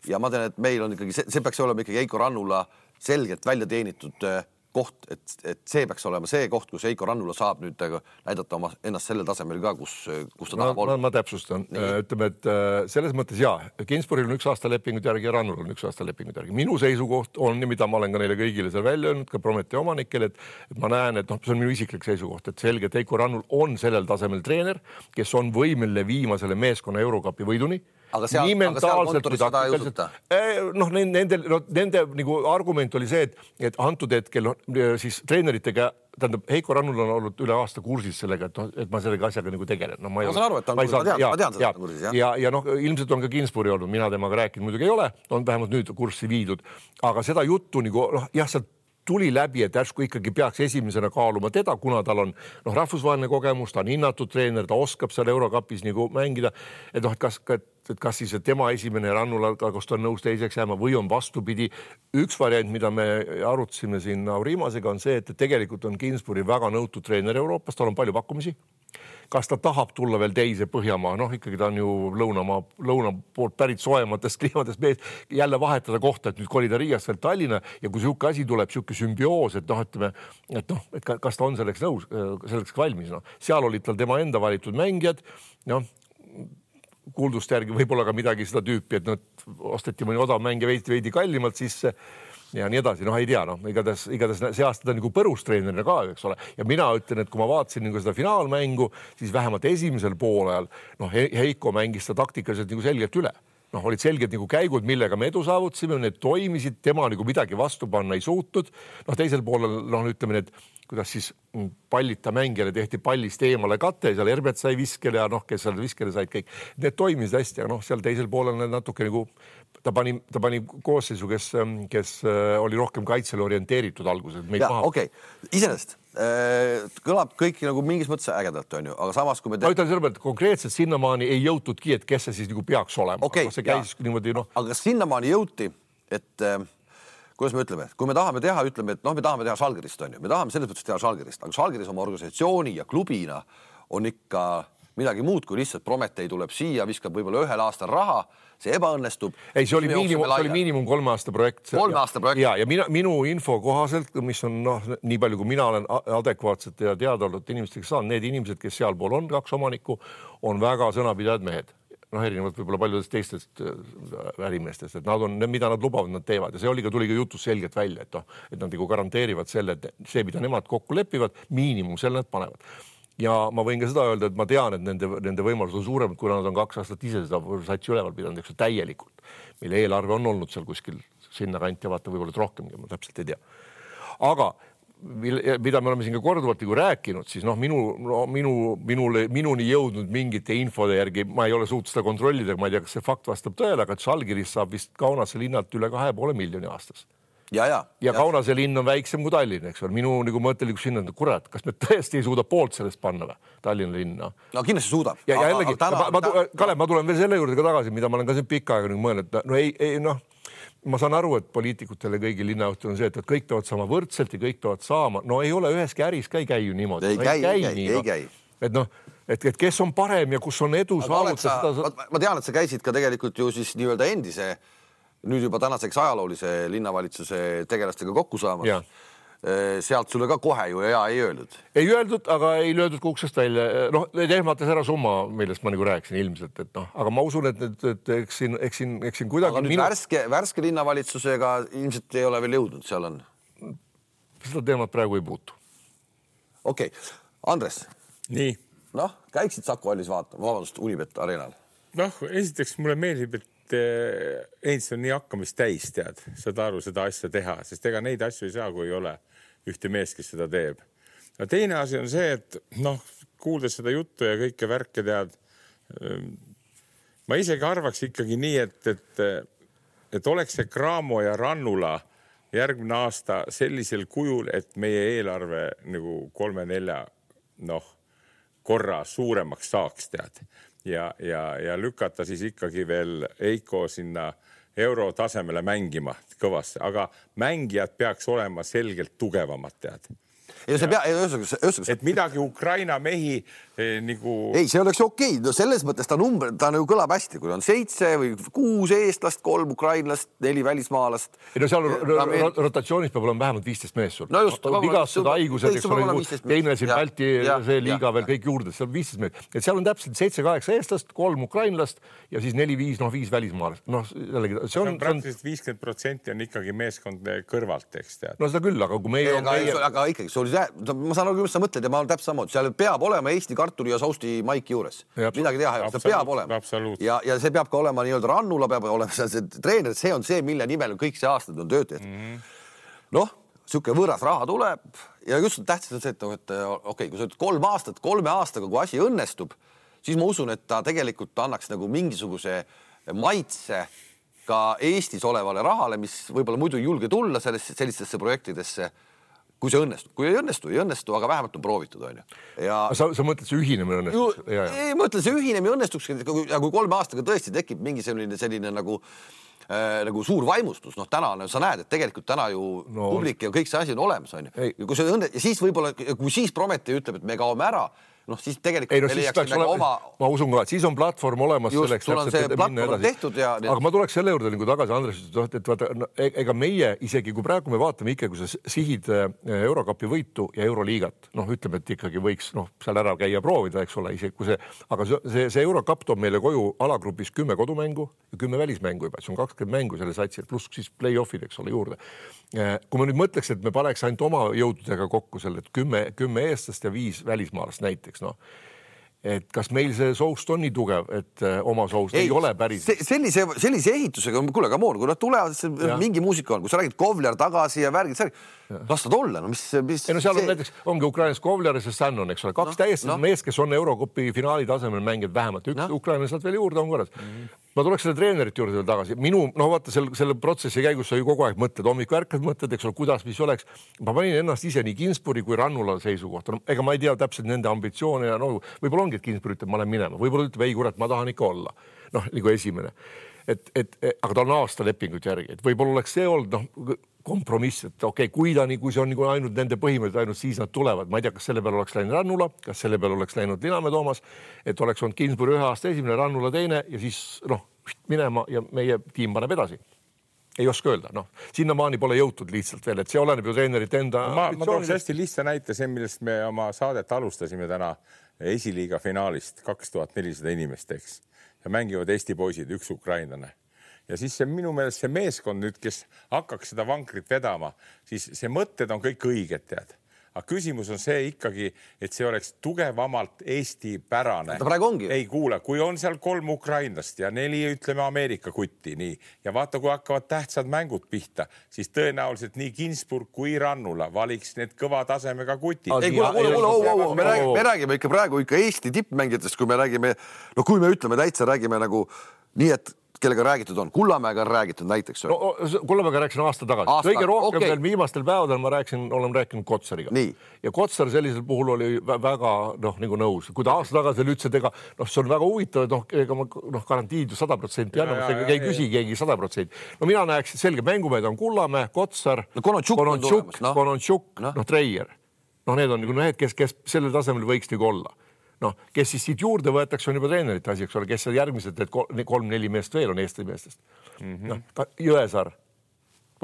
ja ma tean, et meil on ikkagi, see peaks olema ikkagi Heiko Rannula selgelt välja teenitud koht, et see peaks olema see koht, kus Heiko Rannula saab nüüd näidata ennast sellel tasemel ka, kus ta tahab olla. Ma täpsustan. Ütleme, et selles mõttes Kinsburgil on 1 aasta lepingut järgi ja Rannul on 1 aasta lepingut järgi. Minu seisukoht on, mida ma olen ka neile kõigile seal välja öelnud, ka Prometee omanikele, et ma näen, et see on minu isiklik seisukoht, et selge, et Heiko Rannul on sellel tasemel treener, kes on võimeline viima selle meeskonna Eurokapi võiduni. Aga seal kontoris seda ei usuta? Nende nagu argument oli see, et antud hetkel siis treeneritega, tähendab, Heiko Rannul on olnud üle aasta kursis sellega, et ma sellega asjaga nagu tegelen. Ma saan aru, et ma tean seda kursis. Ja ilmselt on ka Kinsburgi olnud, mina temaga rääkinud muidugi ei ole, on vähemalt nüüd kurssi viidud. Aga seda juttu nagu, sealt tuli läbi, et järsku ikkagi peaks esimesena kaaluma teda, kuna tal on rahvusvaheline kogemus, ta on hinnatud treener, ta oskab seal Eurokapis nagu mängida, et kas siis tema esimene Rannula, kas ta on nõus teiseks jääma või on vastupidi. Üks variant, mida me arutasime siin Aurimasega, on see, et tegelikult on Kinsburgi väga nõutud treener Euroopas, tal on palju pakkumisi. Kas ta tahab tulla veel teise Põhjamaa, ikkagi ta on ju lõuna poolt pärit soojematest kliimadest mees, jälle vahetada kohta, et nüüd kolida Riiast veel Tallinna ja kui sihuke asi tuleb, sihuke sümbioos, et kas ta on selleks nõus, selleks valmis. Seal olid tal tema enda valitud mängijad, kuuldust järgi võib-olla ka midagi seda tüüpi, et osteti mõni odav mängija veidi kallimalt sisse ja nii edasi, ei tea, igatahes see aasta ta nagu põrustreenerina ka, eks ole. Ja mina ütlen, et kui ma vaatasin nagu seda finaalmängu, siis vähemalt esimesel poolajal, Heiko mängis seda taktikaliselt nagu selgelt üle. Olid selgelt nagu käigud, millega me edu saavutasime, need toimisid, tema nagu midagi vastu panna ei suutnud. Teisel poolel, ütleme, et kuidas siis pallita mängijale tehti pallist eemale kate, seal Herbert sai viskele ja kes seal viskele said kõik. Need toimisid hästi, aga seal teisel poolel natuke nagu ta pani koosseisu, kes oli rohkem kaitsele orienteeritud alguses. Okei, iseenesest kõlab kõik nagu mingis mõttes ägedalt, on ju, aga samas kui me... Ma ütlen selle pealt, et konkreetselt sinnamaani ei jõutudki, et kes see siis nagu peaks olema. See käis niimoodi, aga sinnamaani jõuti, et kuidas me ütleme, kui me tahame teha, ütleme, et me tahame teha Žalgirist, on ju, me tahame selles mõttes teha Žalgirist, aga Žalgiris oma organisatsiooni ja klubina on ikka midagi muud, kui lihtsalt Prometee tuleb siia, viskab võib-olla 1 aastal raha, see ebaõnnestub. Ei, see oli miinimum 3 aasta projekt. 3 aasta projekt. Ja minu info kohaselt, mis on nii palju, kui mina olen adekvaatsete ja teadaolevate inimestega saan, need inimesed, kes sealpool on 2 omanikku, on väga sõnapidajad mehed. noh, erinevalt võib-olla paljudest teistest ärimeestest, et nad on, mida nad lubavad, nad teevad ja see tuli ka jutus selgelt välja, et nad nagu garanteerivad selle, et see, mida nemad kokku lepivad, miinimum selle nad panevad. Ja ma võin ka seda öelda, et ma tean, et nende võimalused on suuremad, kuna nad on 2 aastat ise seda satsi üleval pidanud, eks täielikult, mille eelarve on olnud seal kuskil sinna kanti ja vaata võib-olla rohkemgi, ma täpselt ei tea. Aga mida me oleme siin ka korduvalt rääkinud, siis minuni jõudnud mingite infode järgi, ma ei ole suutnud seda kontrollida, ma ei tea, kas see fakt vastab tõele, aga Žalgiris saab vist Kaunase linnalt üle 2,5 miljoni aastas. Ja Kaunase linn on väiksem kui Tallinn, eks ole. Minu nagu mõttelikus sinna, kurat, kas me tõesti ei suuda poolt sellest panna või? Tallinna linna. No kindlasti suudab. Ja jällegi, Kalev, ma tulen veel selle juurde ka tagasi, mida ma olen ka siin pikka aega mõelnud. Ma saan aru, et poliitikutele kõigi linnajuhtul on see, et kõik peavad saama võrdselt ja kõik peavad saama. No ei ole üheski äris ka ei käi ju niimoodi. Ei käi. Et kes on parem ja kus on edu saavutada. Ma tean, et sa käisid ka tegelikult ju siis nii-öelda endise, nüüd juba tänaseks ajaloolise linnavalitsuse tegelastega kokku saamas. Ja. Sealt sulle ka kohe ju ei öeldud. Ei öeldud, aga ei löödud kuksest välja. Tehmates ära summa, millest ma nagu rääkisin ilmselt, et aga ma usun, et eks siin kuidagi... Aga nüüd värske linnavalitsusega ilmselt ei ole veel jõudnud, seal on... Seda teemat praegu ei puutu. Okei. Andres. Nii. Käiksid Saku hallis vaatama, vabandust, Unibet Arenal. Esiteks mulle meeldib, et Eins on nii hakkamist täis, tead, saad aru seda asja teha, sest ega neid asju ei saa, kui ei ole ühte mees, kes seda teeb. Ja teine asi on see, et kuuldes seda juttu ja kõike värke tead, ma isegi arvaks ikkagi nii, et oleks see Cramo ja Rannula järgmine aasta sellisel kujul, et meie eelarve nagu 3-4 korra suuremaks saaks, tead. Ja lükata siis ikkagi veel Eiko sinna euro tasemele mängima kõvasse, aga mängijad peaks olema selgelt tugevamad, tead. Et midagi Ukraina mehi nagu... Ei, see oleks okei. Selles mõttes ta nagu kõlab hästi, kui on 7 või 6 eestlast, 3 ukrainlast, 4 välismaalast. Seal rotatsioonis peab olema vähemalt 15 mees sul. Vigastada haigused, eks ole, teine siin Balti see liiga veel kõik juurde, seal 15 mees. Et seal on täpselt 7-8 eestlast, 3 ukrainlast ja siis 4-5 välismaalast. See on praktiliselt 50% on ikkagi meeskond kõrvalt, eks tead. No seda küll, aga kui meie... Aga ikkagi, ma saan aru, mis sa mõtled ja ma olen täpselt samamoodi. Seal peab olema Eesti kartuli ja sausti maiki juures. Midagi teha, see peab olema. Ja see peab ka olema nii-öelda Rannula, peab olema seal see treener, see on see, mille nimel kõik see aastad on töötajad. Siuke võõras raha tuleb ja just tähtsad on see, et okei, kui sa ütled 3 aastat, 3 aastaga, kui asi õnnestub, siis ma usun, et ta tegelikult annaks nagu mingisuguse maitse ka Eestis olevale rahale, mis võib-olla muidu ei julge tulla sellistesse projektidesse, kui see õnnestub. Kui ei õnnestu, aga vähemalt on proovitud, on ju. Sa mõtled, see ühinemine õnnestuks? Ei, ma mõtlen, see ühinemine õnnestuks, kui 3 aastaga tõesti tekib mingi selline nagu suur vaimustus. Täna sa näed, et tegelikult täna ju publik ja kõik see asi on olemas, on ju. Ja siis võib-olla, kui siis Prometee ütleb, et me kaome ära, siis tegelikult ma usun ka, et siis on platvorm olemas selleks, aga ma tuleks selle juurde nagu tagasi, Andres, et vaata, ega meie isegi, kui praegu me vaatame ikka, kui sa sihid Eurokapi võitu ja Euroliigat, ütleme, et ikkagi võiks seal ära käia proovida, eks ole, isegi kui aga see Eurokap toob meile koju alagrupis 10 kodumängu ja 10 välismängu juba, see on 20 mängu selle satsil, pluss siis play-offid, eks ole, juurde. Kui ma nüüd mõtleks, et me paneks ainult oma jõududega kokku selle, et 10 eestlast ja 5 välismaalast näiteks, et kas meil see soust on nii tugev, et oma soust ei ole päris... Sellise ehitusega, kuule, come on, kui nad tulevad, mingi muusika on, kui sa räägid Kovler tagasi ja värgid, lastad olla, mis... seal on näiteks, ongi Ukrainas Kovler ja see Sannon, eks ole, 2 täiesti mees, kes on Eurokopi finaali tasemel mängid vähemalt, 1 Ukraina sealt veel juurde on korras. Ma tuleks selle treenerit juurde veel tagasi. Vaata, selle protsessi käigus sa ju kogu aeg mõtled, hommik värkad mõtled, eks ole, kuidas mis oleks. Ma panin ennast ise nii Ginsburi kui Rannula seisukohta. Ega ma ei tea täpselt nende ambitsioone ja võib-olla ongi, et Ginsburi ütleb, ma olen minema. Võib-olla ütleb, ei kurat, ma tahan ikka olla. Nagu esimene. Aga ta on aasta lepingut järgi. Et võib-olla oleks see olnud kompromiss, et okei, kui see on ainult nende põhimõtted, ainult siis nad tulevad. Ma ei tea, kas selle peale oleks läinud Rannula, kas selle peale oleks läinud Linamäe Toomas, et oleks olnud Ginsburi 1 aasta esimene, Rannula teine ja siis minema ja meie tiim paneb edasi. Ei oska öelda, sinnamaani pole jõutud lihtsalt veel, et see oleneb ju treenerit enda... Ma tooks hästi lihtsa näite, see, millest me oma saadet alustasime täna, esiliiga finaalist 2400 inimest, eks, ja mängivad Eesti poisid, üks ukrainlane. Ja siis see minu meelest see meeskond nüüd, kes hakkaks seda vankrit vedama, siis see mõtted on kõik õiged, tead. Aga küsimus on see ikkagi, et see oleks tugevamalt Eesti pärane. Ei kuule, kui on seal 3 ukrainlast ja 4, ütleme, Ameerika kutti, nii. Ja vaata, kui hakkavad tähtsad mängud pihta, siis tõenäoliselt nii Ginsburg kui Rannula valiks need kõva tasemega kutid. Me räägime ikka praegu ikka Eesti tippmängijatest, kui me räägime, no kui me ütleme täitsa, räägime nagu nii, et kellega räägitud on. Kullamäega on räägitud näiteks. No, Kullamäega rääkisin aasta tagasi. Kõige rohkem veel viimastel päevadel ma olen rääkinud Kotsariga. Nii. Ja Kotsar sellisel puhul oli väga nagu nõus. Kui ta aasta tagasi oli ütles, et see on väga huvitav, et ega ma garantiid 100% annab, ei küsi keegi 100%. No mina näeks, et selge mängumehed on Kullamäe, Kotsar, Kononchuk, Treier. Need on need, kes sellel tasemel võiks nagu olla. Kes siis siit juurde võetakse, on juba treenerite asi, eks ole, kes järgmised 3-4 meest veel on Eesti meestest. Jõesaar,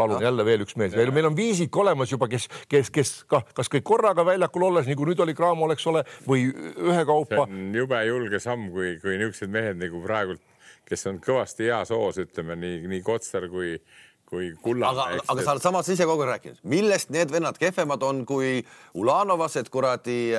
palun jälle veel üks mees. Meil on viisik olemas juba, kes kas kõik korraga väljakul olles, nagu nüüd oli Graamo, oleks ole, või ühe kaupa. See on jube julge samm, kui niisugused mehed nagu praegult, kes on kõvasti heas hoos, ütleme, nii Kotsar kui Kullamäe. Aga sa oled samas ise kogu rääkinud. Millest need vennad kehvemad on kui Ulanovased, kuradi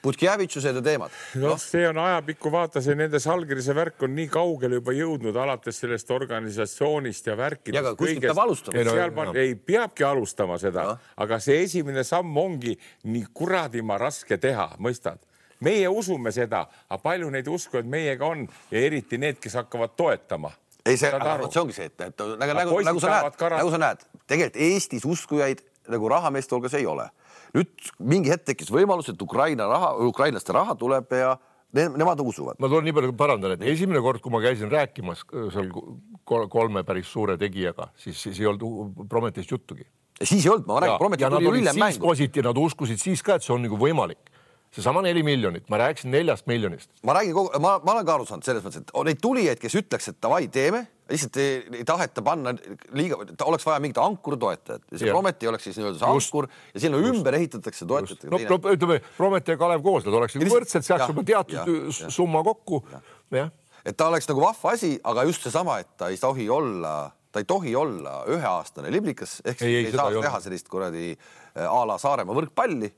Putkjevitsused ja teemad? See on ajapikku, vaata, see nende Salgirise värk on nii kaugele juba jõudnud alates sellest organisatsioonist ja värkidest. Ja aga kuskilt peab alustama. Ei peabki alustama seda, aga see esimene samm ongi nii kuradima raske teha, mõistad? Meie usume seda, aga palju neid usku, et meiega on ja eriti need, kes hakkavad toetama. Ei, see ongi see, et nagu sa näed, tegelikult Eestis uskujaid nagu rahameeste hulgas ei ole. Nüüd mingi hetk tekkis võimalus, et ukrainlaste raha tuleb ja nemad usuvad. Ma tulen nii palju parandan, et esimene kord, kui ma käisin rääkimas seal 3 päris suure tegijaga, siis ei olnud Prometist juttugi. Siis ei olnud, ma räägin, Prometist tuli üllem mängu. Nad uskusid siis ka, et see on nagu võimalik. See sama 4 miljonit, ma rääkisin 4 miljonist. Ma olen ka aru saanud selles mõttes, et neid tulijaid, kes ütleks, et davai, teeme, lihtsalt ei taheta panna liiga, oleks vaja mingit ankuru toetajat. Ja see Prometi oleks siis nii-öelda see ankur ja sinna ümber ehitatakse toetajat. Ütleme, Prometi ja Kalev koos, nad oleks võrdsed, seaks juba teatud summa kokku. Et ta oleks nagu vahva asi, aga just see sama, et ta ei tohi olla 1-aastane liblikas, ehk ei saa teha sellist kuradi a la Saaremaa võrkpalli.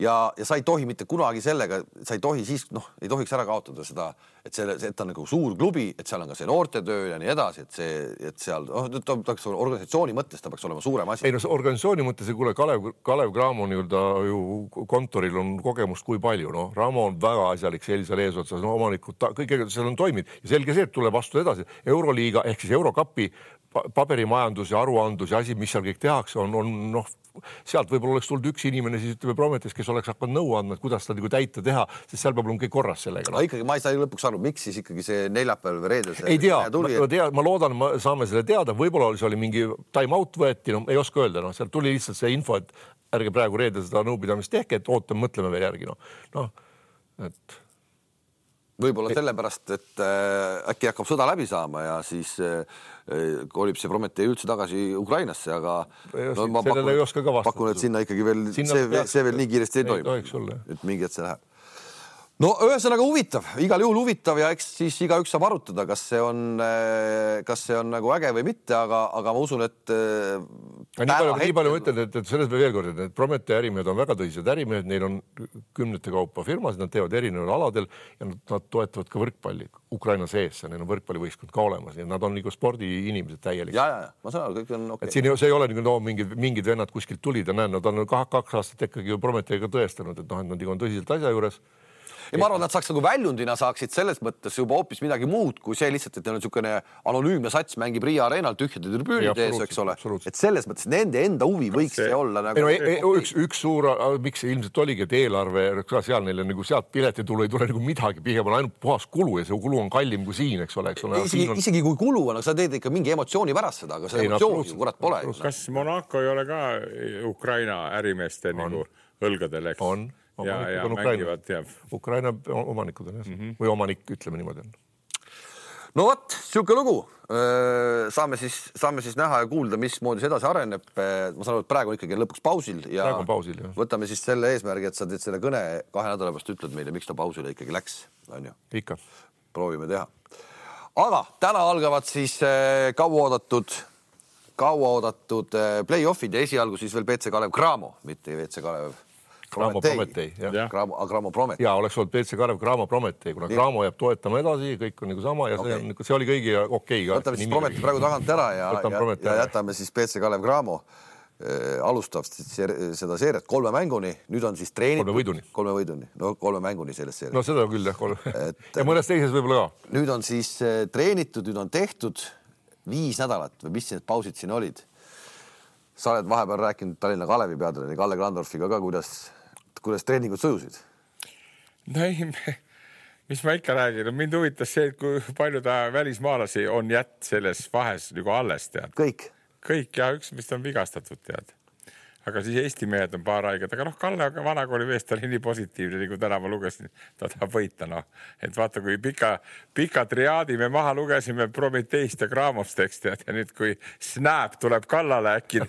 Ja sa ei tohi mitte kunagi sellega, sa ei tohi siis, ei tohiks ära kaotada seda, et ta on nagu suur klubi, et seal on ka see noortetöö ja nii edasi, et seal organisatsiooni mõttes ta peaks olema suurem asi. Ei, organisatsiooni mõttes, kuule, Kalev Cramo ju kontoril on kogemust kui palju, Ramo on väga asjalik sellisel eesotsas, omanikud, kõigega seal on toimid ja selge see, et tuleb vastu edasi. Euroliiga ehk siis Eurokapi paberimajandus ja aruandus ja asi, mis seal kõik tehakse, on sealt võib-olla oleks tulnud üks inimene, siis ütleme Prometis, kes oleks hakanud nõu andma, et kuidas ta nagu täita teha, sest seal peab olema kõik korras sellega. Ikkagi ma ei saa lõpuks aru, miks siis ikkagi see neljapäeval või reedel ei tea, ma loodan, saame selle teada, võib-olla oli mingi time out võeti, ei oska öelda, seal tuli lihtsalt see info, et ärge praegu reedel seda nõupidamist tehke, et ootame, mõtleme veel järgi. Et võib-olla sellepärast, et äkki hakkab sõda läbi saama ja siis kolib see Prometee üldse tagasi Ukrainasse, aga ma pakun, et sinna ikkagi veel see veel nii kiiresti ei toimu. Et mingi hetk see läheb. No ühesõnaga huvitav, igal juhul huvitav ja eks siis igaüks saab arutada, kas see on nagu äge või mitte, aga ma usun, et nii palju mõtlen, et selles veel kord, et Prometee ärimehed on väga tõsised ärimehed, neil on 10 kaupa firmasid, nad teevad erineval aladel ja nad toetavad ka võrkpalli Ukraina sees, neil on võrkpallivõistkond ka olemas, nii et nad on nagu spordiinimesed täielik. Ja, ma saan aru, kõik on okei. Et siin see ei ole mingid vennad kuskilt tulid ja nad on 2 aastat ikkagi Prometeega tõestanud, et nad on tõsiselt asja juures. Ja ma arvan, nad saaks nagu väljundina saaksid selles mõttes juba hoopis midagi muud, kui see lihtsalt, et neil on niisugune anonüümne sats mängib Riia areenal tühjade tribüünide ees, eks ole. Et selles mõttes nende enda huvi võiks see olla nagu... Üks suur, miks see ilmselt oligi, et eelarve, seal neile nagu sealt piletitulu ei tule nagu midagi, pigem on ainult puhas kulu ja see kulu on kallim kui siin, eks ole. Isegi kui kulu on, aga sa teed ikka mingi emotsiooni pärast seda, aga see emotsiooni kurat pole. Kas Monaco ei ole ka Ukraina ärimeeste nagu õlgadel, eks? On. Ja mängivad, Ukraina omanikud on või omanik, ütleme niimoodi. no vot, siuke lugu. Saame siis näha ja kuulda, mismoodi see edasi areneb. Ma saan aru, et praegu ikkagi lõpuks pausil ja pausil, võtame siis selle eesmärgi, et sa teed selle kõne 2 nädala pärast ütled meile, miks ta pausile ikkagi läks. On ju? Ikka. Proovime teha. Aga täna algavad siis kauaoodatud play-offid ja esialgu siis veel PC Kalev Cramo, mitte WC Kalev Prometei. Cramo Prometei. Ja oleks olnud PC Kalev Cramo Prometei, kuna Cramo jääb toetama edasi, kõik on nagu sama ja see oli kõigi okei. Võtame siis Prometei praegu tagant ära ja jätame siis PC Kalev Cramo. Alustab seda seeriat 3 mänguni, nüüd on siis treenitud 3 võiduni. No 3 mänguni selles seerias. No seda küll, jah. Ja mõnes teises võib-olla ka. Nüüd on siis treenitud, nüüd on tehtud 5 nädalat või mis need pausid siin olid. Sa oled vahepeal rääkinud Tallinna Kalevi peatreeneri Kalle Grandorfiga ka, kuidas treeningud sujusid? No ei, mis ma ikka räägin. Mind huvitas see, et kui palju ta välismaalasi on selles vahes nagu alles, tead. Kõik ja üks, mis on vigastatud, tead. Aga siis Eesti mehed on paar haiged. Aga Kalle vanakooli meest oli nii positiivne, nagu täna ma lugesin, ta tahab võita. Et vaata, kui pika triaadi me maha lugesime Prometeist ja Cramost, ja nüüd kui Snap tuleb kallale äkki.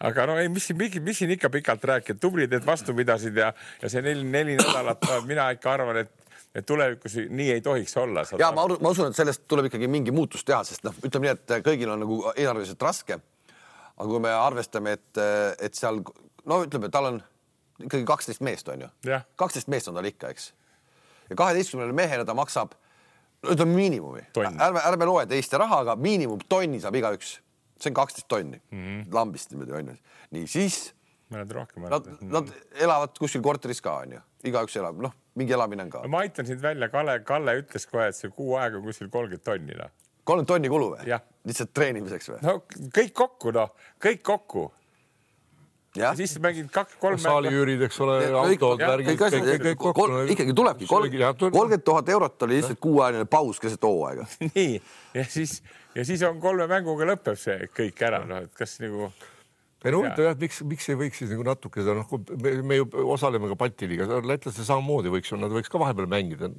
Aga mis siin ikka pikalt rääkida? Tublid, et vastu pidasid ja see 4 nädalat, mina ikka arvan, et tulevikus nii ei tohiks olla. Ja ma usun, et sellest tuleb ikkagi mingi muutus teha, sest ütleme nii, et kõigil on nagu eelarveliselt raske. Aga kui me arvestame, et seal, ütleme, tal on ikkagi 12 meest, on ju? 12 meest on tal ikka, eks? Ja 12 mehele ta maksab, ütleme miinimumi. Ärme loe teiste raha, aga miinimum tonni saab igaüks. See on 12 tonni. Lambist niimoodi, on ju. Nii, siis nad elavad kuskil korteris ka, on ju. Igaüks elab, mingi elamine on ka. Ma aitan sind välja, Kalle ütles kohe, et see kuu aega kuskil 30 tonni. 30 tonni kulu või? Lihtsalt treenimiseks või? No kõik kokku. Ja siis mängid 2-3 saaliüürid, eks ole, autod, värgid, kõik kokku. Ikkagi tulebki. 30 000 eurot oli lihtsalt kuuajaline paus keset hooaega. Nii, ja siis on 3 mänguga lõpeb see kõik ära. Et kas nagu... Huvitav, miks ei võiks siis natuke seda, me ju osaleme ka Balti liigas, lätlaste samamoodi võiks ka vahepeal mängida,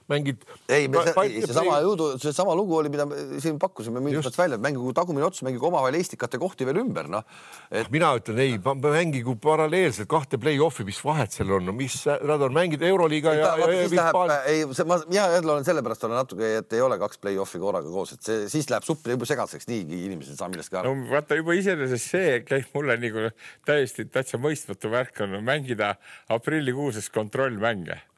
mängid... Ei, see sama lugu oli, mida siin pakkusime mingit välja, mängigu tagumine ots, mängigu omavahel eestikate kohti veel ümber. Mina ütlen, ei, mängigu paralleelselt 2 play-offi, mis vahet seal on, mis nad on mängid Euroliiga ja... Mina olen sellepärast natuke, et ei ole 2 play-offi korraga koos, et siis läheb suppi juba segaseks, niigi inimesed saa millestki aru. No vaata juba iseenesest see käib mulle nagu täitsa mõistmatu värk on mängida aprillikuuses kontrollmänge.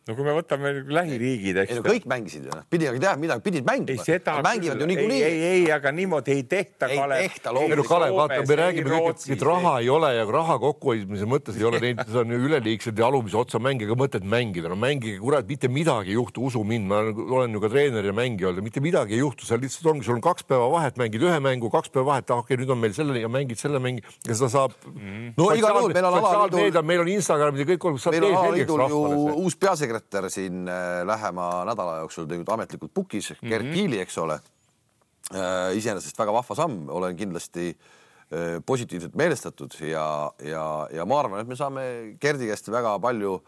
No kui me võtame lähiriigid, eks. Kõik mängisid ju, pidid teha midagi, pidid mängima. Mängivad ju niikuinii. Ei, aga niimoodi ei tehta, Kalev. Ei tehta, loomulikult. Kalev, vaata, me räägime kõik, et raha ei ole ja raha kokkuhoidmise mõttes ei ole neid, see on üleliigsed ja alumise otsa mängiga mõtet mängida. No mängige, kurat, mitte midagi ei juhtu, usu mind, ma olen ju ka treener ja mängija olnud, mitte midagi ei juhtu, seal lihtsalt ongi, sul on 2 päeva vahet, mängid 1 mängu, 2 päeva vahet, okei, nüüd on meil selle ja mängid selle mängi ja seda saab... No igal juhul, meil on Instagramid ja kõik olgu, saab uus peasekretär siin lähema nädala jooksul teinud ametlikult pukis, Gerd Kiili, eks ole. Iseenesest väga vahva samm, olen kindlasti positiivselt meelestatud ja ma arvan, et me saame Gerdi käest väga palju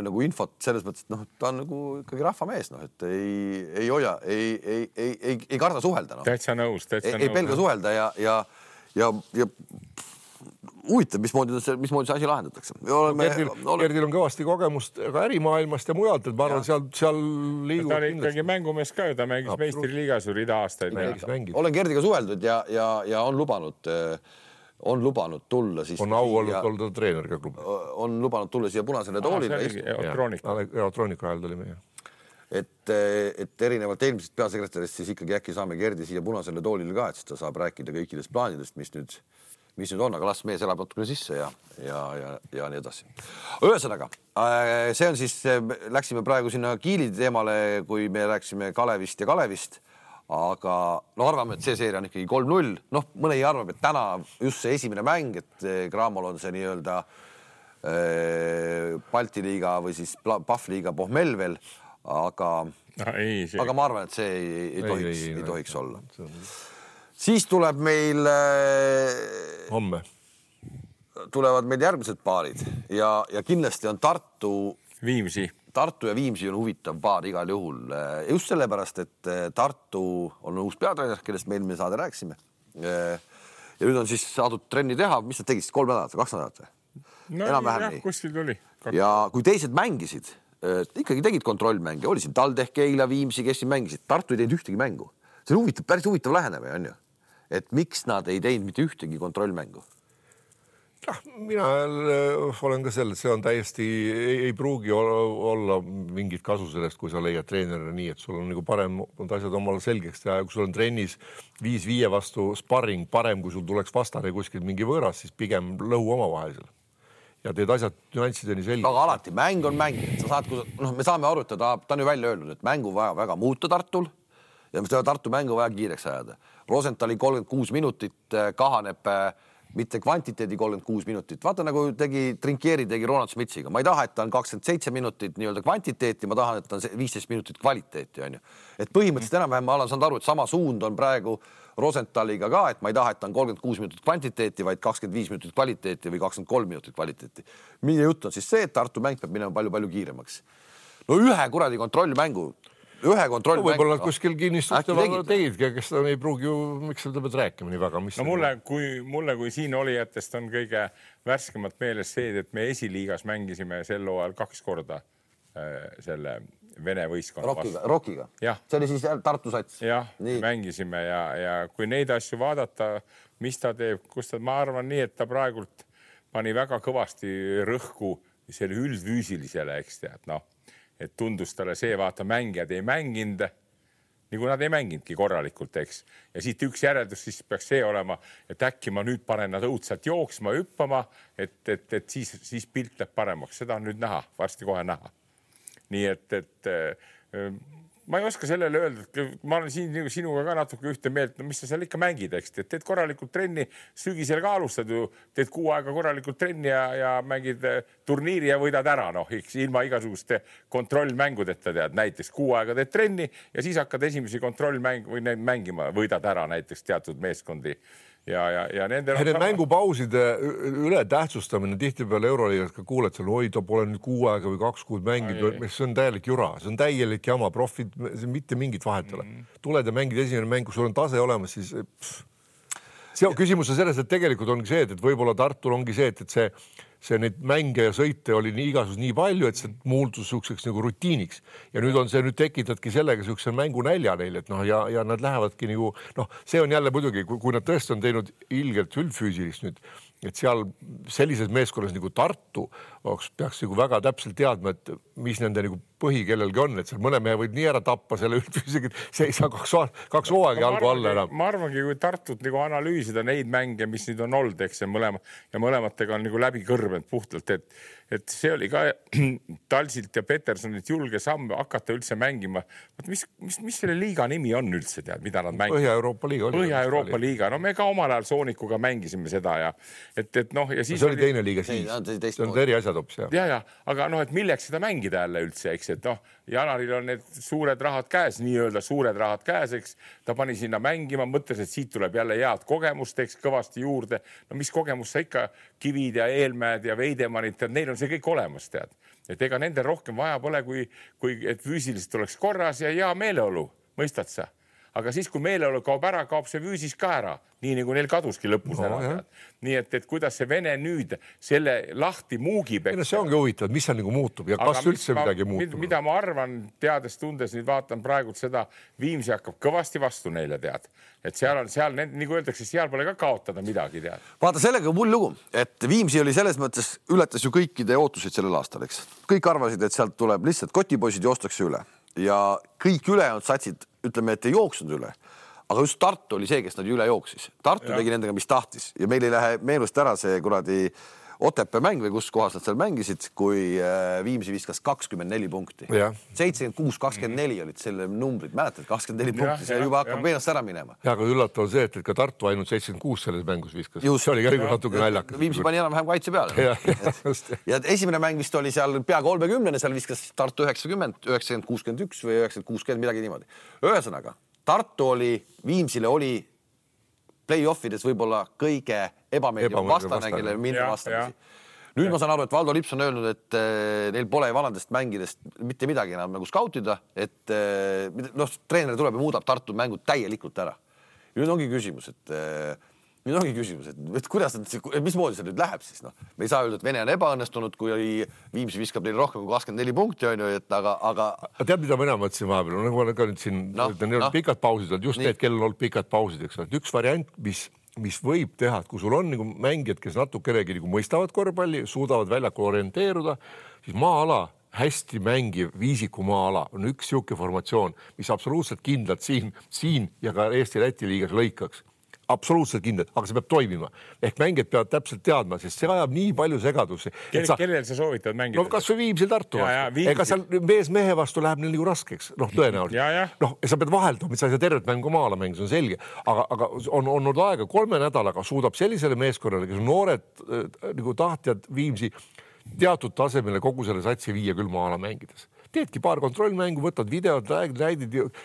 nagu infot selles mõttes, et ta on nagu ikkagi rahvamees, et ei hoia, ei karda suhelda. Täitsa nõus. Ei pelga suhelda ja huvitav, mismoodi see asi lahendatakse. Gerdil on kõvasti kogemust ka ärimaailmast ja mujalt, et ma arvan, seal liigub. Ta oli ikkagi mängumees ka ju, ta mängis meistriliigas ju rida aastaid. Olen Gerdiga suheldud ja on lubanud tulla. On au olnud treener ka klubi. On lubanud tulla siia punasele toolile. Elektroonika ajal tuli meie. Et erinevalt eelmisest peasekretärist siis ikkagi äkki saame Gerdi siia punasele toolile ka, et siis ta saab rääkida kõikidest plaanidest, mis nüüd on, aga las mees elab natukene sisse ja nii edasi. Ühesõnaga, see on siis, läksime praegu sinna Kiili teemale, kui me rääksime Kalevist ja Kalevist, aga arvame, et see seeria on ikkagi 3-0. Mõne ei arvab, et täna just see esimene mäng, et Cramol on see nii-öelda Balti liiga või siis Pahvliiga pohmell veel, aga ma arvan, et see ei tohiks olla. Siis tuleb meil homme tulevad meil järgmised paarid ja kindlasti on Tartu Viimsi Tartu ja Viimsi on huvitav paar igal juhul. Just sellepärast, et Tartu on uus peatreener, kellest me eelmine saade rääkisime. Ja nüüd on siis saadud trenni teha. Mis nad tegid? 3 nädalat, 2 nädalat? No jah, kuskil tuli. Ja kui teised mängisid, ikkagi tegid kontrollmänge, oli siin TalTech, Keila, Viimsi, kes siin mängisid. Tartu ei teinud ühtegi mängu. See on huvitav, päris huvitav lähenemine, on ju? Et miks nad ei teinud mitte ühtegi kontrollmängu? Mina olen ka selle, et see on täiesti, ei pruugi olla mingit kasu sellest, kui sa leiad treenerina nii, et sul on nagu parem asjad omale selgeks teha. Kui sul on trennis 5-5 vastu sparring parem, kui sul tuleks vastane kuskil mingi võõras, siis pigem lõhu omavahelisel. Ja teed asjad nüanssideni selgeks. Aga alati, mäng on mäng. Sa saad, me saame arutada, ta on ju välja öelnud, et mängu vaja väga muuta Tartul ja me seda Tartu mängu vaja kiireks ajada. Rosenthali 36 minutit kahaneb mitte kvantiteedi 36 minutit. Vaata nagu Trinkieri tegi Ronald Smitsiga. Ma ei taha, et ta on 27 minutit nii-öelda kvantiteeti, ma tahan, et ta on 15 minutit kvaliteeti. On ju. Et põhimõtteliselt enam-vähem ma olen saanud aru, et sama suund on praegu Rosenthaliga ka, et ma ei taha, et ta on 36 minutit kvantiteeti, vaid 25 minutit kvaliteeti või 23 minutit kvaliteeti. Mille jutt on siis see, et Tartu mäng peab minema palju kiiremaks. No ühe kuradi kontrollmängu. Võib-olla nad kuskil kinnistuste tegidki, kes ta ei pruugi ju, miks seda pead rääkima nii väga? No mulle kui siin olijatest on kõige värskemat meeles see, et me esiliigas mängisime sel hooajal 2 korda selle Vene võistkonna Rockiga. See oli siis Tartu sats. Jah, mängisime ja kui neid asju vaadata, mis ta teeb, ma arvan nii, et ta praegult pani väga kõvasti rõhku selle üldfüüsilisele, eks tead, et tundus talle see, vaata mängijad ei mänginud, nagu nad ei mänginudki korralikult, eks. Ja siit üks järeldus siis peaks see olema, et äkki ma nüüd panen nad õudselt jooksma, hüppama, et siis pilt läheb paremaks. Seda on nüüd näha, varsti kohe näha. Nii et ma ei oska sellele öelda, et ma olen siin sinuga ka natuke ühte meelt, mis sa seal ikka mängid, eks, teed korralikult trenni, sügisel ka alustad ju, teed 6 aega korralikult trenni ja mängid turniiri ja võidad ära, ilma igasuguste kontrollmängudeta tead, näiteks 6 aega teed trenni ja siis hakkad esimesi kontrollmängu või mängima, võidad ära näiteks teatud meeskondi. Ja need mängupauside üle tähtsustamine tihtipeale Euroliigas ka kuuled seal, oi, ta pole nüüd 6 aega või 2 kuud mängid, see on täielik jura, see on täielik jama, profid, mitte mingit vahetele. Tuled ja mängid esimene mäng, kui sul on tase olemas, siis see on küsimus on selles, et tegelikult ongi see, et võib-olla Tartul ongi see, et see neid mänge ja sõite oli nii palju, et see muuldus sukseks nagu rutiiniks. Ja nüüd on see, nüüd tekitadki sellega sukse mängu nälja neil, et ja nad lähevadki nagu, see on jälle muidugi, kui nad tõesti on teinud ilgelt üldfüüsilist nüüd, et seal sellises meeskonnas nagu Tartu peaks nagu väga täpselt teadma, et mis nende nagu põhi kellelgi on, et seal mõne mehe võib nii ära tappa selle üldfüüsiga, see ei saa 2 hooaegi algu alla enam. Ma arvangi, kui Tartut nagu analüüsida neid mänge, mis nüüd on olnud, eks, ja mõlematega on nagu läbi kõrbenud puhtalt, et see oli ka Talsilt ja Petersonilt julge samm hakata üldse mängima. Mis selle liiga nimi on üldse, tead, mida nad mängivad? Põhja-Euroopa liiga. Põhja-Euroopa liiga. No me ka omal ajal Soonikuga mängisime seda ja ja siis see oli teine liiga siis. See on eri asjad hoopis. Ja, aga et milleks seda mängida jälle üldse, eks, et Janaril on need suured rahad käes, nii-öelda suured rahad käes, eks. Ta pani sinna mängima, mõttes, et siit tuleb jälle head kogemust, eks, kõvasti juurde. No mis kogemus sa ikka Kivid ja Eelmäed ja Veidemannid, neil on see kõik olemas, tead. Et ega nende rohkem vaja pole, kui et füüsiliselt oleks korras ja hea meeleolu, mõistad sa? Aga siis, kui meeleolu kaob ära, kaob see füüsis ka ära, nii nagu neil kaduski lõpus ära. Nii et kuidas see Vene nüüd selle lahti muugib. See ongi huvitav, mis seal nagu muutub ja kas üldse midagi muutub. Mida ma arvan, teades tundes, nüüd vaatan praegult seda, Viimsi hakkab kõvasti vastu neile, tead. Et seal, nagu öeldakse, seal pole ka kaotada midagi, tead. Vaata, sellega mul lugu, et Viimsi oli selles mõttes, ületas ju kõikide ootusid sellel aastal, eks. Kõik arvasid, et sealt tuleb lihtsalt kotipoisid joostakse üle ja kõik ülejäänud satsid, ütleme, et ei jooksnud üle. Aga just Tartu oli see, kes nad üle jooksis. Tartu tegi nendega, mis tahtis. Ja meil ei lähe meenust ära see kuradi Otepää mäng või kus kohas nad seal mängisid, kui Viimsi viskas 24 punkti. 76-24 olid selle numbrid. Mäletad, 24 punkti, see juba hakkab meenust ära minema. Ja, aga üllatav see, et ka Tartu ainult 76 selles mängus viskas. See oli ka natuke naljakas. Viimsi pani enam-vähem kaitse peale. Ja esimene mäng vist oli seal pea 30, seal viskas Tartu 90, 90-61 või 90-60, midagi niimoodi. Ühesõnaga, Tartu oli, Viimsile oli play-offides võib-olla kõige ebameeldiv vastane, kellele minna vastamisi. Nüüd ma saan aru, et Valdo Lips on öelnud, et neil pole vanadest mängidest mitte midagi enam nagu skautida, et treener tuleb ja muudab Tartu mängud täielikult ära. Nüüd ongi küsimus, et kuidas mismoodi see nüüd läheb siis, noh. Me ei saa öelda, et Vene on ebaõnnestunud, kui Viimsi viskab neile rohkem kui 24 punkti, on ju, et aga... Tead, mida mina mõtlesin vahepeal? Nagu ma ka nüüd siin, neil on pikad pausid, just need, kellel on olnud pikad pausid, eks ole. Üks variant, mis võib teha, et kui sul on nagu mängijad, kes natukenegi nagu mõistavad korvpalli, suudavad väljakul orienteeruda, siis maa-ala, hästi mängiv viisiku maa-ala on üks siuke formatsioon, mis absoluutselt kindlalt siin ja ka Eesti-Läti liigas lõikaks. Absoluutselt kindlalt, aga see peab toimima. Ehk mängijad peavad täpselt teadma, sest see ajab nii palju segadusi. Kellel sa soovitad mängida? No kas või Viimsil Tartu vastu. Ega seal mehe vastu läheb neil nagu raskeks. Tõenäoliselt. Sa pead vahelduma, et sa ei saa tervet mängu maala mängu, see on selge. Aga on olnud aega 3 nädalaga suudab sellisele meeskonnale, kes on noored nagu tahtjad Viimsi teatud tasemele kogu selle satsi viia küll maala mängides. Teedki paar kontrollmängu, võtad videod,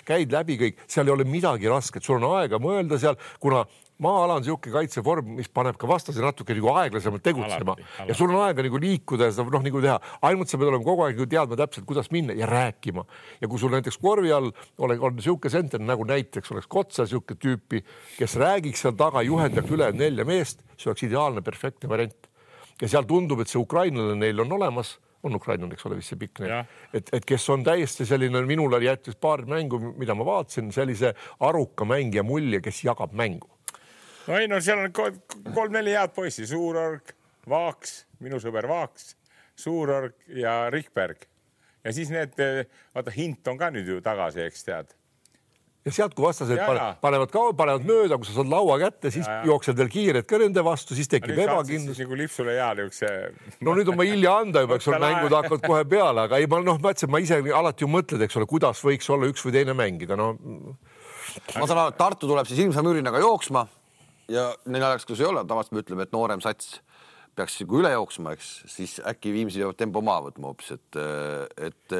käid läbi kõik, seal ei ole midagi rasket, sul on aega mõelda seal, kuna maa-ala on siuke kaitseform, mis paneb ka vastase natuke nagu aeglasemalt tegutsema ja sul on aega nagu liikuda ja seda nagu teha. Ainult sa pead olema kogu aeg teadma täpselt, kuidas minna ja rääkima. Ja kui sul näiteks korvi all on siuke senter, nagu näiteks oleks Kotsa siuke tüüpi, kes räägiks seal taga, juhendaks üle 4 meest, see oleks ideaalne, perfektne variant. Ja seal tundub, et see ukrainlane neil on olemas, on ukrainlane, eks ole, vist see pikk neil. Et kes on täiesti selline, minul jättis paar mängu, mida ma vaatasin, sellise aruka mängija mulje, kes jagab mängu. No ei, seal on 3-4 head poissi, Suurorg, Vaaks, minu sõber Vaaks, Suurorg ja Rikberg. Ja siis need, vaata, Hint on ka nüüd ju tagasi, eks tead. Ja sealt, kui vastased panevad mööda, kui sa saad laua kätte, siis jooksed veel kiired ka nende vastu, siis tekib ebakindlus. Siis nagu Lipsule jaaljuks. No nüüd on ma hilja anda juba, eks ole, mängud hakkavad kohe peale, aga ei, ma ise alati ju mõtled, eks ole, kuidas võiks olla üks või teine mängida. No. Ma saan aru, et Tartu tuleb siis ilmsa müürinaga jooksma ja neil ajaks, kus ei ole, tavaliselt me ütleme, et noorem sats peaks üle jooksma, eks, siis äkki Viimsi peavad tempo maha võtma hoopis, et...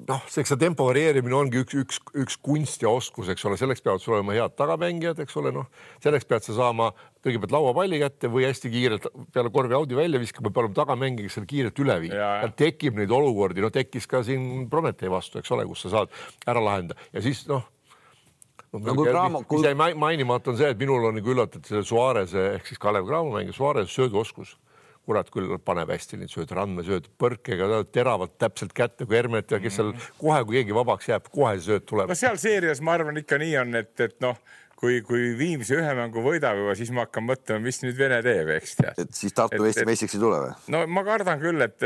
Noh, eks see tempo varieerimine ongi üks kunst ja oskus, eks ole, selleks peavad sul olema head tagamängijad, eks ole, noh, selleks pead sa saama kõigepealt lauapalli kätte või hästi kiirelt peale korvi audi välja viskama, peab olema tagamängiga seal kiirelt üle viia. Ja tekib neid olukordi, tekkis ka siin Prometee vastu, eks ole, kus sa saad ära lahendada ja siis, mis jäi mainimata on see, et minul on nagu üllatud selle Suarese ehk siis Kalev Cramo mängi Suarese sööduoskus. Kurat küll paneb hästi neid sööd, randmesööd, põrkega, teravad täpselt kätte kui Hermet ja kes seal kohe, kui keegi vabaks jääb, kohe sööd tuleb. No seal seerias ma arvan ikka nii on, et kui Viimsi ühe mängu võidab juba, siis ma hakkan mõtlema, mis nüüd Vene teeb, eks tead. Et siis Tartu Eesti meistriks ei tule või? No ma kardan küll, et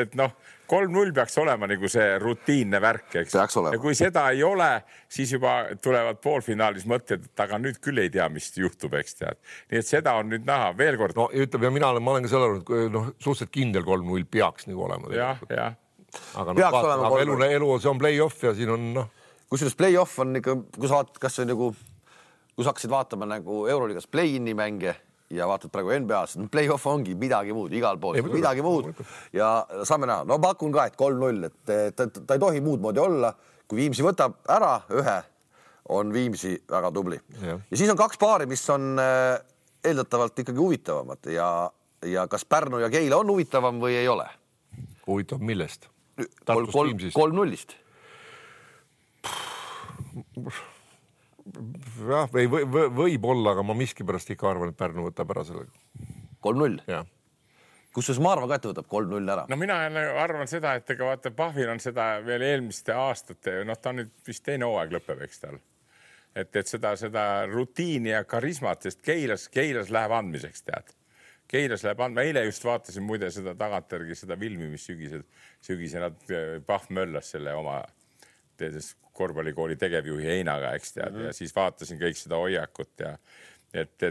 3-0 peaks olema nagu see rutiinne värk, eks. Ja kui seda ei ole, siis juba tulevad poolfinaalis mõtted, et aga nüüd küll ei tea, mis juhtub, eks tead. Nii et seda on nüüd näha veel kord. No ütleb, ja ma olen ka selle arvanud, suhteliselt kindel 3-0 peaks nagu olema. Ja. Aga elu see on play-off ja siin on, Kusjuures play-off on ikka, kui sa vaatad, kas see nagu, kui sa hakkasid vaatama nagu Euroliigas play-in'i mänge ja vaatad praegu NBA-s, play-off ongi midagi muud, igal pool midagi muud ja saame näha. No pakun ka, et 3-0, et ta ei tohi muud moodi olla. Kui Viimsi võtab ära ühe, on Viimsi väga tubli. Ja siis on 2 paari, mis on eeldatavalt ikkagi huvitavamad ja kas Pärnu ja Keila on huvitavam või ei ole? Huvitav millest? 3-0-ist. Jah, võib olla, aga ma miskipärast ikka arvan, et Pärnu võtab ära sellega. 3-0? Jah. Kusjuures ma arvan ka, et võtab 3-0 ära. No mina arvan seda, et ega vaata Pahvil on seda veel eelmiste aastate, ta on nüüd vist teine hooaeg lõpeb, eks tal. Et seda rutiini ja karismat, sest Keilas läheb andmiseks, tead. Keilas läheb andma. Eile just vaatasin muide seda tagantjärgi, seda filmi, mis sügisena Pahv möllas selle oma korvpallikooli tegevjuhi Heinaga, eks tead, ja siis vaatasin kõik seda hoiakut ja et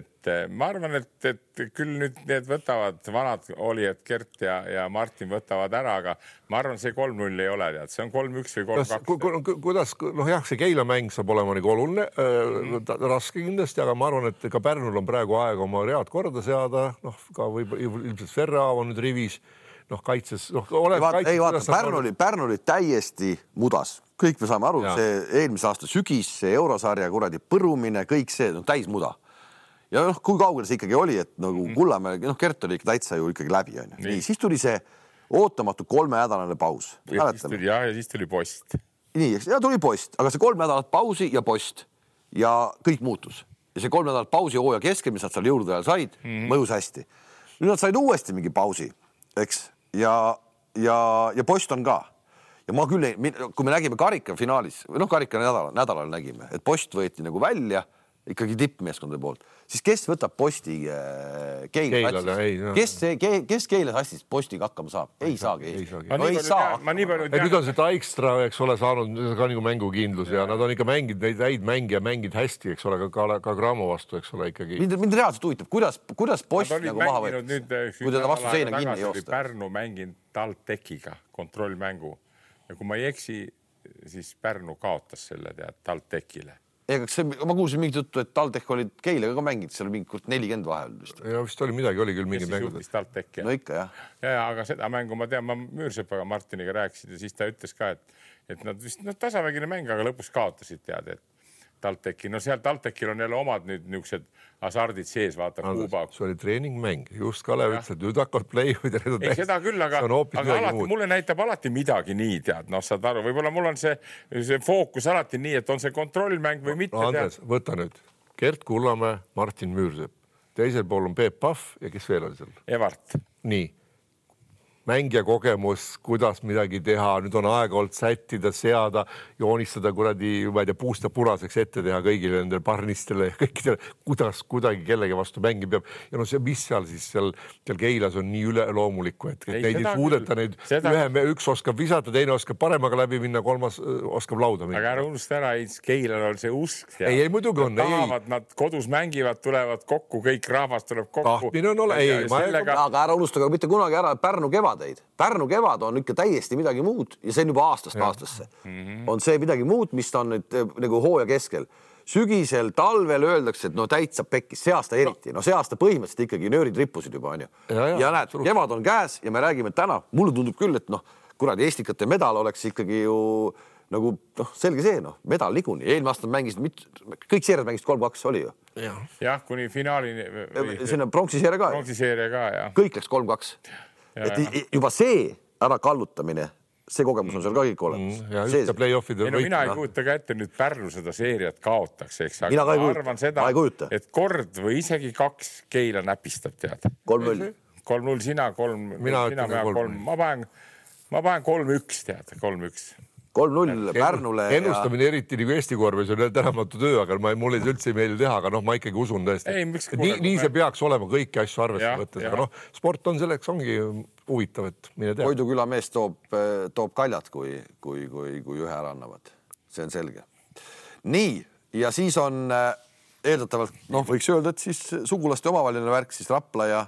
ma arvan, et küll nüüd need võtavad vanad olijad Gert ja Martin võtavad ära, aga ma arvan, see 3-0 ei ole, tead, see on 3-1 või 3-2. Kuidas, see Keila mäng saab olema nagu oluline, raske kindlasti, aga ma arvan, et ka Pärnul on praegu aega oma read korda seada, ka ilmselt Ferraav on nüüd rivis, kaitses, ei vaata, Pärnu oli täiesti mudas. Kõik me saame aru, see eelmise aasta sügis, see eurosarja kuradi põrumine, kõik see on täis muda. ja kui kaugel see ikkagi oli, et nagu Kullamäe, Kert oli ikka täitsa ju ikkagi läbi. Nii, siis tuli see ootamatu 3-nädalane paus. Ja siis tuli post. Nii, ja tuli post, aga see 3 nädalat pausi ja post ja kõik muutus. Ja see 3 nädalat pausi hooaja keskel, mis nad seal jõulude ajal said, mõjus hästi. Nüüd nad said uuesti mingi pausi, eks? Ja post on ka. Ja ma küll, kui me nägime karika finaalis, või karika nädalal nägime, et post võeti nagu välja, ikkagi tippmeeskondade poolt, siis kes võtab posti Keila? Kes Keilas astis postiga hakkama saab? Ei saagi. Ei saa. Nüüd on see Taikstra, eks ole, saanud ka nagu mängukindlus ja nad on ikka mänginud neid häid mängija, mängid hästi, eks ole, ka Gramo vastu, eks ole, ikkagi. Mind reaalselt huvitab, kuidas post nagu maha võetud, kui teda vastu seina kinni joosta. Pärnu mänginud TalTechiga kontrollmängu ja kui ma ei eksi, siis Pärnu kaotas selle TalTechile. Ma kuulsin mingit juttu, et TalTech oli Keilega ka mänginud, seal oli mingi 40 vahel. Ja vist oli midagi, oli küll mingi mängud. No ikka, jah. Ja, aga seda mängu ma tean, ma Müürsepaga Martiniga rääkisin ja siis ta ütles ka, et nad vist tasavägine mäng, aga lõpus kaotasid teada, et TalTechi. No seal TalTechil on jälle omad nüüd niisugused hasardid sees, vaata Kuuba. See oli treeningmäng, just Kalev ütles, et nüüd hakkavad play-oid. Ei, seda küll, aga alati, mulle näitab alati midagi nii, tead. Saad aru, võib-olla mul on see fookus alati nii, et on see kontrollmäng või mitte. Andres, võta nüüd. Gert Kullamäe, Martin Müürsepp. Teisel pool on Peep Pahv ja kes veel oli seal? Evart. Nii. Mängija kogemus, kuidas midagi teha, nüüd on aega olnud sättida, seada, joonistada kuradi, ma ei tea, puusta punaseks ette teha kõigile nendele parnistele ja kõikidele, kuidas kuidagi kellegi vastu mängi peab. Ja no see, mis seal siis seal Keilas on nii üleloomulikku, et neid ei suudeta neid. Üks oskab visata, teine oskab paremaga läbi minna, kolmas oskab lauda minna. Aga ära unusta ära, Keilal on see usk. Ei, muidugi on. Nad kodus mängivad, tulevad kokku, kõik rahvas tuleb kokku. Tahtmine on ole. Aga ära unusta mitte kunagi ära Pärnu kevadeid. Pärnu kevad on ikka täiesti midagi muud ja see on juba aastast aastasse. On see midagi muud, mis on nüüd nagu hooaja keskel. Sügisel, talvel öeldakse, et täitsa pekkis, see aasta eriti. See aasta põhimõtteliselt ikkagi nöörid rippusid juba, on ju. Ja näed, kevad on käes ja me räägime täna, mulle tundub küll, et kuradi Estikate medal oleks ikkagi ju nagu selge see, medal niikuinii. Eelmine aasta mängisid, kõik seeriad mängisid 3-2 oli ju. Jah, kuni finaalini. Sinna pronksiseeria ka. Pronksiseeria ka, jah. Kõik läks 3-2. Et juba see ära kallutamine, see kogemus on seal ka kõik olemas. Ja ühte play-offide võitma. Mina ei kujuta ka ette nüüd Pärnu seda seeriat kaotaks, eks. Mina ka ei kujuta. Et kord või isegi 2 Keila näpistab, tead. 3-0. 3-0 sina, 3. Ma panen 3-1, tead, 3-1. 3-0 Pärnule. Ennustamine eriti nagu Eesti korvis on tänamatu töö, aga mul ei üldse meeli teha, aga ma ikkagi usun tõesti. Nii see peaks olema kõiki asju arvesse võttes, aga sport on selleks, ongi huvitav, et mine tea. Koidu küla mees toob kaljad, kui ühe ära annavad. See on selge. Nii, ja siis on eeldatavalt, võiks öelda, et siis sugulaste omavaheline värk, siis Rapla ja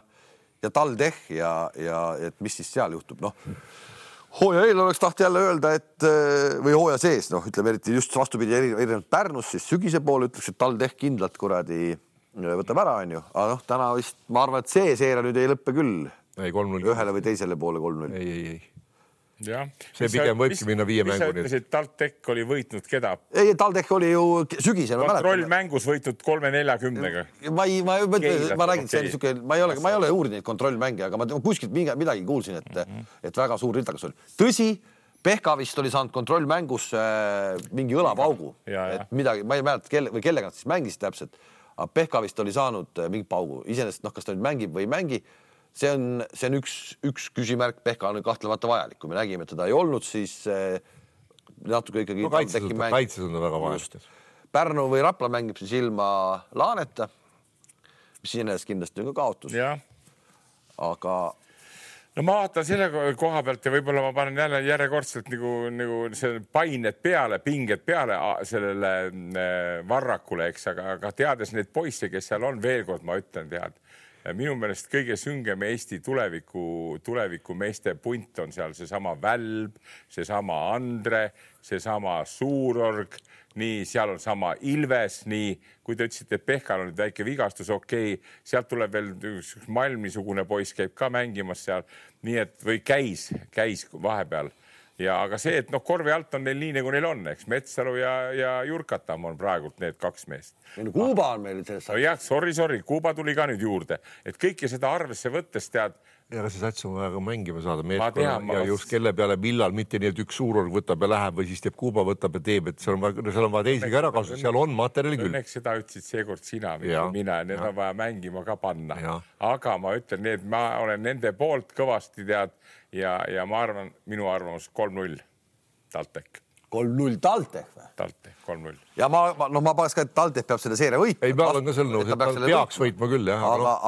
TalTech ja et mis siis seal juhtub, hooaja eel oleks taht jälle öelda, et või hooaja sees, ütleme eriti just vastupidi erinevalt Pärnus, siis sügise poole ütleks, et TalTech kindlalt kuradi võtab ära, on ju. Aga täna vist, ma arvan, et see seeria nüüd ei lõppe küll. Ei, 3-0. Ühele või teisele poole 3-0. Ei. Ja. See pigem võibki minna 5 mängu. Mis sa ütlesid, TalTech oli võitnud keda? Ei, TalTech oli ju sügisel. Kontrollmängus võitnud 3-40-ga. Ma räägin, see oli siuke, ma ei ole uurinud neid kontrollmänge, aga ma kuskilt midagi kuulsin, et väga suur rildakas oli. Tõsi, Pehka vist oli saanud kontrollmängus mingi õlapaugu. Et midagi, ma ei mäleta, kellega nad siis mängisid täpselt, aga Pehka vist oli saanud mingi paugu. Iseenesest, kas ta nüüd mängib või ei mängi, see on üks küsimärk. Pehka on kahtlemata vajalik. Kui me nägime, et teda ei olnud, siis natuke ikkagi... Kaitses on ta väga vajalik. Pärnu või Rapla mängib siis ilma Laaneta, mis siinest kindlasti on ka kaotus. Aga... No ma vaatan selle koha pealt ja võib-olla ma panen jälle järjekordselt nagu see pained peale, pinged peale sellele Varrakule, eks, aga teades neid poisse, kes seal on, veel kord ma ütlen, tead, minu meelest kõige süngem Eesti tuleviku meeste punt on seal seesama Välb, seesama Andre, seesama Suurorg, nii, seal on sama Ilves, nii, kui te ütlesite, et Pehkal on nüüd väike vigastus, okei, sealt tuleb veel Malmisugune poiss käib ka mängimas seal, nii et või käis vahepeal. ja aga see, et korvi alt on neil nii nagu neil on, eks Metsalu ja Jurkatam on praegult need kaks meest. Kuuba on meil selles. No jah, sorry, Kuuba tuli ka nüüd juurde, et kõike seda arvesse võttes tead. Ja see sats on vaja ka mängima saada meeskonna ja just kelle peale millal, mitte nii, et üks suurorg võtab ja läheb või siis teeb Kuuba, võtab ja teeb, et seal on vaja teisigi ära kasutada, seal on materjali küll. Õnneks seda ütlesid seekord sina, mina, need on vaja mängima ka panna. Aga ma ütlen nii, et ma olen nende poolt kõvasti tead ja ma arvan, minu arvamus 3-0 TalTech. 3-0 TalTech või? TalTech, 3-0. Ja ma paneks ka, et TalTech peab selle seeria võitma. Ei, ma olen ka selle nõus, et ta peaks võitma küll, jah.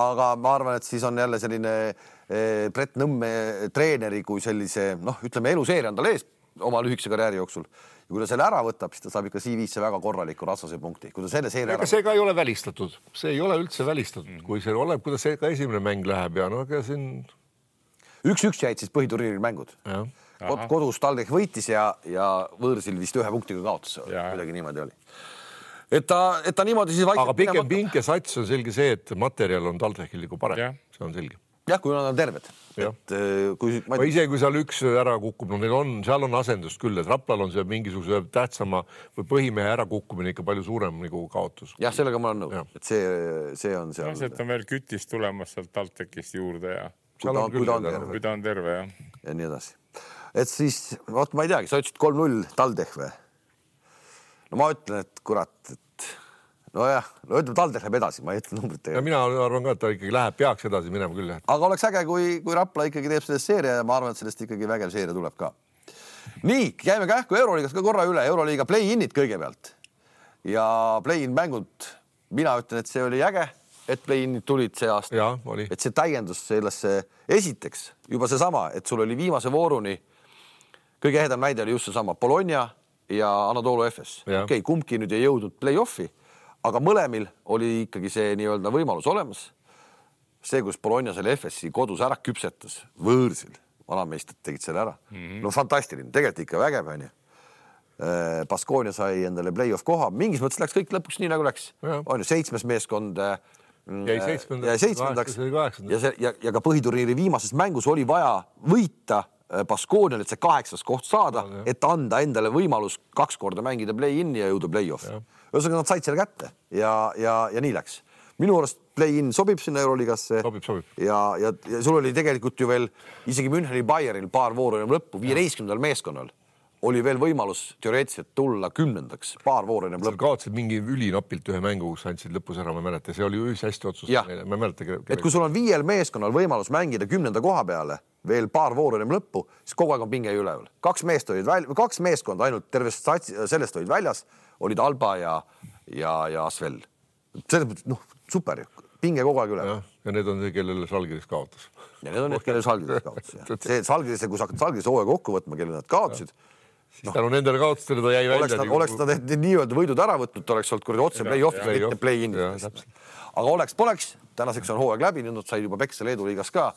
Aga ma arvan, et siis on jälle selline Brett Nõmme treeneri kui sellise, ütleme, eluseeria on tal ees oma lühikese karjääri jooksul. Ja kui ta selle ära võtab, siis ta saab ikka CV-sse väga korraliku ratsase punkti. Kui ta selle seeria ära... See ka ei ole välistatud. See ei ole üldse välistatud. Kui see oleb, kuidas see ka esimene mäng läheb ja aga siin... 1-1 jäid siis põhiturniiril mängud. Kodus TalTech võitis ja võõrsil vist 1 punktiga kaotas. Kuidagi niimoodi oli. Et ta niimoodi siis vaikselt... Aga pikem pink ja sats on selge see, et materjal on TalTechil nagu parem. See on selge. Jah, kui nad on terved. Ise, kui seal üks ära kukub, seal on asendust küll, et Raplal on see mingisuguse tähtsama või põhimehe ära kukkumine ikka palju suurem nagu kaotus. Jah, sellega ma olen nõus, et see on seal. Sealt on veel kütist tulemas sealt TalTechist juurde ja kui ta on terve, jah. Ja nii edasi. Et siis, ma ei teagi, sa ütlesid 3-0 TalTech või? No ma ütlen, et kurat, ütleme TalTech läheb edasi, ma ei ütle numbrit. Ja mina arvan ka, et ta ikkagi peaks edasi minema küll. Aga oleks äge, kui Rapla ikkagi teeb sellest seeria ja ma arvan, et sellest ikkagi vägev seeria tuleb ka. Nii, käime kähku Euroliigas ka korra üle. Euroliiga play-inid kõigepealt. Ja play-in mängud, mina ütlen, et see oli äge, et play-inid tulid see aasta. Ja, oli. Et see täiendus sellesse esiteks juba seesama, et sul oli viimase vooruni kõige ehedam näide oli just seesama Bologna ja Anadolu Efes. Okei, kumbki nüüd ei jõudnud play-offi, aga mõlemil oli ikkagi see nii-öelda võimalus olemas. See, kus Bologna selle Efesi kodus ära küpsetas võõrsil, vanameistad tegid selle ära. No fantastiline, tegelikult ikka vägev, on ju. Baskonia sai endale play-off koha. Mingis mõttes läks kõik lõpuks nii, nagu läks. On ju 7. meeskond jäi 7. ja ka põhiturniiri viimases mängus oli vaja võita Baskonial, et see 8. koht saada, et anda endale võimalus 2 korda mängida play-in ja jõuda play-off. Ühesõnaga nad said selle kätte ja nii läks. Minu arust play-in sobib sinna Euroliigasse. Sobib. Ja sul oli tegelikult ju veel isegi Müncheni Bayernil paar vooru enam lõppu, 15. meeskonnal oli veel võimalus teoreetiliselt tulla 10. paar vooru enam lõppu. Kaotsid mingi ülinapilt ühe mängu, kus andsid lõpus ära, ma mäleta. See oli üldse hästi otsus. Ma mäleta, et kui sul on 5 meeskonnal võimalus mängida 10. koha peale, veel paar vooru enam lõppu, siis kogu aeg on pinge üleval. 2 meeskonda ainult tervest sellest olid väljas, olid Alba ja Asvel. Super, pinge kogu aeg üleval. Ja need on see, kellele Žalgiris kaotas. Ja need on need, kellele Žalgiris kaotas. See Žalgiris, kui sa hakkad Žalgiris hooaja kokku võtma, kellele nad kaotasid. Siis tänu nendele kaotustele ta jäi välja. Oleks ta nii-öelda võidud ära võtnud, oleks olnud kuradi otse play-offis, mitte play-in. Aga poleks, tänaseks on hooaeg läbi, nüüd nad said juba Peksa Leedu liigas ka.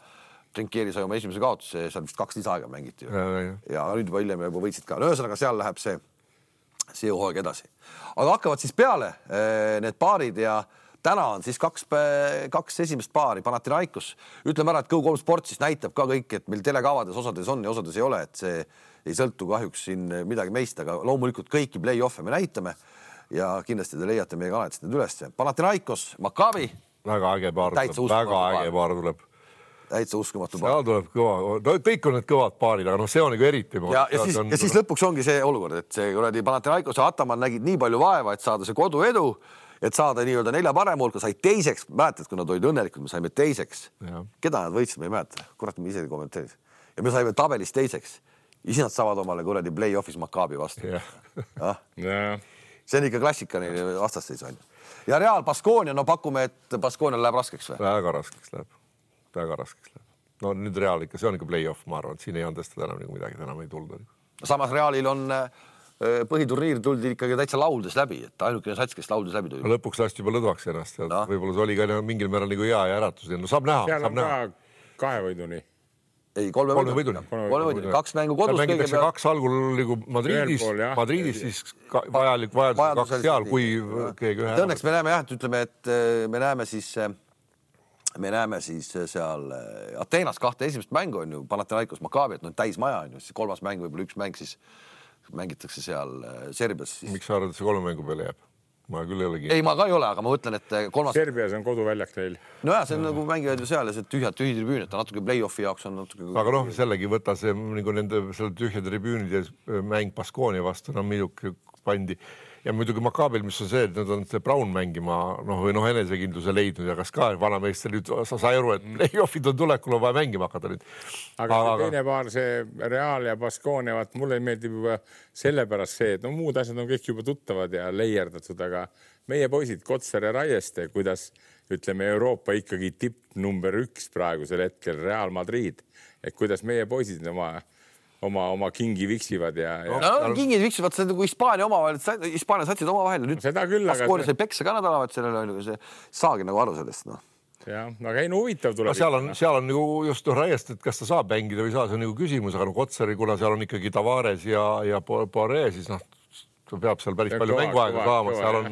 Trinkieri sai oma esimese kaotuse, seal vist 2 lisaaega mängiti. Ja nüüd juba hiljem juba võitsid ka. Ühesõnaga seal läheb see hooaeg edasi. Aga hakkavad siis peale need paarid ja täna on siis 2 esimest paari, Panathinaikos. Ütleme ära, et Go3 Sport siis näitab ka kõik, et meil telekavades osades on ja osades ei ole, et see ei sõltu kahjuks siin midagi meist, aga loomulikult kõiki play-off'e me näitame ja kindlasti te leiate meie kanalitest need üles. Panathinaikos, Maccabi. Väga äge paar tuleb. Täitsa uskumatu paar. Seal tuleb kõva, kõik on need kõvad paarid, aga see on nagu eriti. Ja siis lõpuks ongi see olukord, et see Panathinaikos ja Ataman nägid nii palju vaeva, et saada see kodu edu, et saada nii-öelda 4 parema hulka, sai teiseks, mäletad, kui nad olid õnnelikud, me saime teiseks. Keda nad võitsid, me ei mäleta. Kurat, me ise kommenteeris. Ja me saime tabelis teiseks. Isi nad saavad omale kuradi play-offis Maccabi vastu. See on ikka klassika neile vastasteis on. Ja Real Baskonia, pakume, et Baskonial läheb raskeks või? Väga raskeks läheb. No nüüd Real ikka, see on ikka play-off, ma arvan, et siin ei andestada enam midagi, enam ei tulda. Samas Realil on põhiturniir tuldi ikkagi täitsa lauldes läbi, et ainukene sats, kes lauldes läbi tuli. Lõpuks lasti juba lõdvaks ennast. Võib-olla see oli ka mingil määral nagu hea ja äratus. No saab näha. Seal on ka 2 võiduni. Ei, 3 võiduni. 2 mängu kodus. Mängitakse 2 algul nagu Madridis, siis vajalik vajadus 2 seal, kui keegi ühe. Õnneks me näeme et ütleme, et me näeme siis me näeme siis seal Ateenas 2 esimest mängu on ju Panathinaikos Maccabi, et täismaja on ju, siis 3. mäng, võib-olla 1 mäng siis mängitakse seal Serbias. Siis... Miks sa arvad, et see 3 mängu peale jääb? Ma küll ei olegi. Ei, ma ka ei ole, aga ma mõtlen, et 3. Serbias on koduväljak neil. No jah, see on nagu mängivad ju seal ja see tühi tribüün, et natuke play-offi jaoks on natuke... Aga sellegi võta see nagu nende tühja tribüünide mäng Baskoonia vastu, midagi pandi. Ja muidugi Maccabil, mis on see, et nad on Brown mängima või enesekindluse leidnud ja kas ka vanameister nüüd sa aru, et play-offid on tulekul, on vaja mängima hakata nüüd. Aga teine paar, see Real ja Baskoonia, mulle meeldib juba sellepärast see, et muud asjad on kõik juba tuttavad ja leierdatud, aga meie poisid Kotsar ja Raieste, kuidas ütleme Euroopa ikkagi tipp number 1 praegusel hetkel Real Madrid, et kuidas meie poisid oma kingi viksivad ja... No, kingid viksivad, see nagu Hispaania omavahel, Hispaania satsid omavahel. Nüüd seda küll, aga... Baskoonia sai peksa ka nädalavat sellele, see saagi nagu aru sellest. Jah, aga ei huvitav tuleb. Seal on nagu just Raiest, et kas ta saab mängida või saa, see on nagu küsimus, aga Kotsari, kuna seal on ikkagi Tavares ja Poiré, siis ta peab seal päris palju mänguaega saama. Seal on...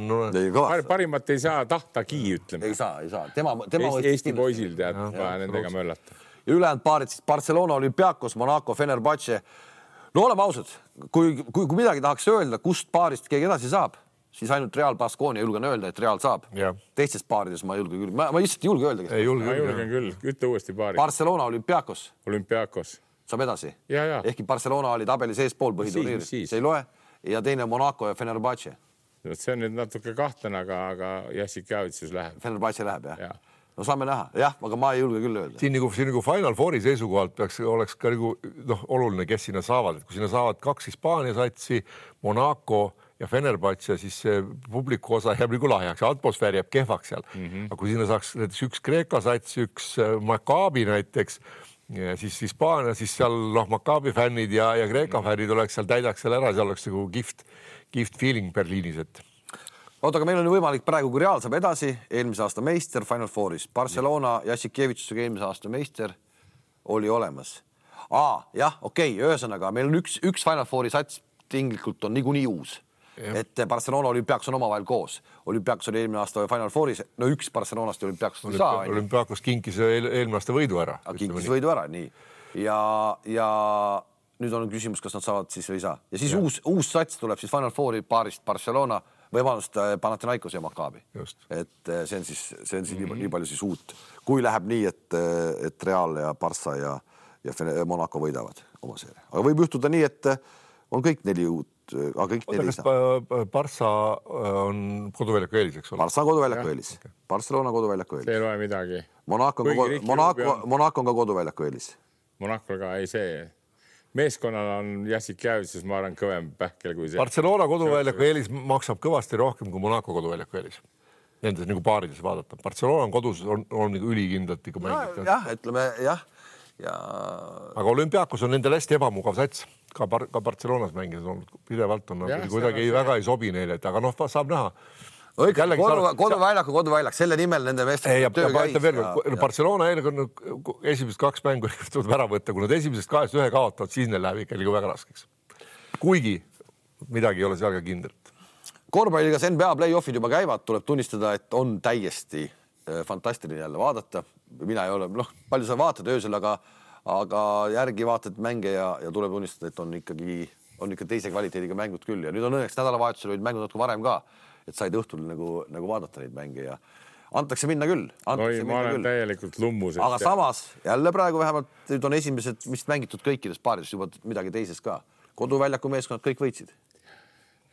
Parimat ei saa tahtagi, ütleme. Ei saa. Eesti poisil tead, nendega möllata. Ja ülejäänud paarid, siis Barcelona, Olympiakos, Monaco, Fenerbahce. No oleme ausad, kui midagi tahaks öelda, kust paarist keegi edasi saab, siis ainult Real Baskoonia julgen öelda, et Real saab. Teistes paarides ma julge küll. Ma lihtsalt ei julge öelda. Ei julgen küll. Ütle uuesti paari. Barcelona, Olympiakos. Saab edasi. Ehkki Barcelona oli tabeli seespool põhiturniiri. See ei loe. Ja teine Monaco ja Fenerbahce. See on nüüd natuke kahtlane, aga Jassik Javitsus läheb. Fenerbahce läheb, jah. No saame näha. Jah, aga ma ei julge küll öelda. Siin nagu Final Fouri seisukohalt oleks ka nagu oluline, kes sinna saavad. Et kui sinna saavad 2 Hispaania satsi, Monaco ja Fenerbahce, siis see publiku osa jääb nagu lahjaks. Atmosfäär jääb kehvaks seal. Aga kui sinna saaks näiteks 1 Kreeka sats, 1 Maccabi näiteks, siis Hispaania, siis seal Maccabi fännid ja Kreeka fännid oleks seal, täidaks seal ära, seal oleks nagu gift feeling Berliinis, et... Aga meil on võimalik praegu, kui Real saab edasi, eelmise aasta meister Final Fouris. Barcelona Jassikevitsusega eelmise aasta meister oli olemas. Jah, okei, ühesõnaga, meil on üks Final Fouri sats tinglikult on niikuinii uus. Et Barcelona Olympiakos on omavahel koos. Olympiakos oli eelmine aasta Final Fouris, üks Barcelonast Olympiakos ei saa. Olympiakos kinkis eelmine aasta võidu ära. Kinkis võidu ära, nii. Ja nüüd on küsimus, kas nad saavad siis või ei saa. Ja siis uus sats tuleb siis Final Fouri paarist Barcelona võimalust Panathinaikos ja Maccabi. Et see on siis nii palju siis uut. Kui läheb nii, et Real ja Barça ja Monaco võidavad oma seeria. Aga võib juhtuda nii, et on kõik 4 uut, aga kõik 4 ei saa. Barça on koduväljaku eelis, eks ole? Barça on koduväljaku eelis. Barcelona koduväljaku eelis. See ei loe midagi. Monaco on ka koduväljaku eelis. Monaco ka ei see... Meeskonnal on Jassik Javitsus, ma arvan, kõvem pähkel kui see. Barcelona koduväljaku eelis maksab kõvasti rohkem kui Monaco koduväljaku eelis. Nendes nagu paarides vaadata. Barcelona on kodus, on nagu ülikindlalt ikka mängid. Jah, ütleme, jah. Aga Olympiakos on nendel hästi ebamugav sats. Ka Barcelonas mängides on pidevalt on kuidagi väga ei sobi neile, aga saab näha. Koduväljak, selle nimel nende meestega töö käis. Barcelona esimesed 2 mängu tuleb ära võtta, kui nad esimesest 2 ühe kaotavad, siis neil läheb ikka väga raskeks. Kuigi midagi ei ole seal ka kindlalt. Korvpalligas NBA play-offid juba käivad, tuleb tunnistada, et on täiesti fantastiline jälle vaadata. Mina ei ole, palju sa vaatad öösel, aga järgi vaatad mänge ja tuleb tunnistada, et on ikka teise kvaliteediga mängud küll. Ja nüüd on õnneks nädalavahetusel olid mängud natuke varem ka, et said õhtul nagu vaadata neid mänge ja antakse minna küll. Ma olen täielikult lummus. Aga samas jälle praegu vähemalt nüüd on esimesed, mis mängitud kõikides paarides juba midagi teises ka. Koduväljaku meeskonnad kõik võitsid.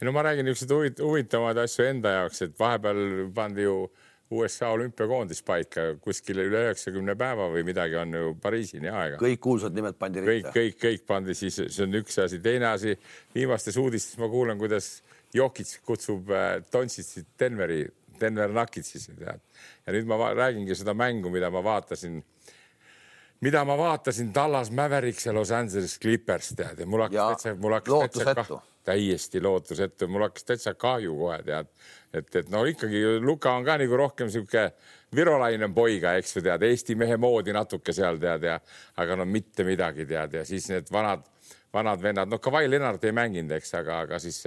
No ma räägin niisugused huvitavad asju enda jaoks, et vahepeal pandi ju USA olümpiakoondis paika kuskil üle 90 päeva või midagi on ju Pariisini aega. Kõik kuulsad nimed pandi ritta. Kõik pandi, siis see on üks asi. Teine asi, viimastes uudistes ma kuulen, kuidas Jokic kutsub Doncicit Denver Nuggetsisse, tead. Ja nüüd ma räägingi seda mängu, mida ma vaatasin Dallas Mavericks ja Los Angeles Clippers, tead. Ja mul hakkas täiesti lootusetu. Mul hakkas täitsa kahju kohe, tead. Et no ikkagi Luka on ka nagu rohkem siuke virolainen poiga, eks ju, tead. Eesti mehe moodi natuke seal, tead. Aga no mitte midagi, tead. Ja siis need vanad vennad, no Kawhi Leonard ei mänginud, eks, aga siis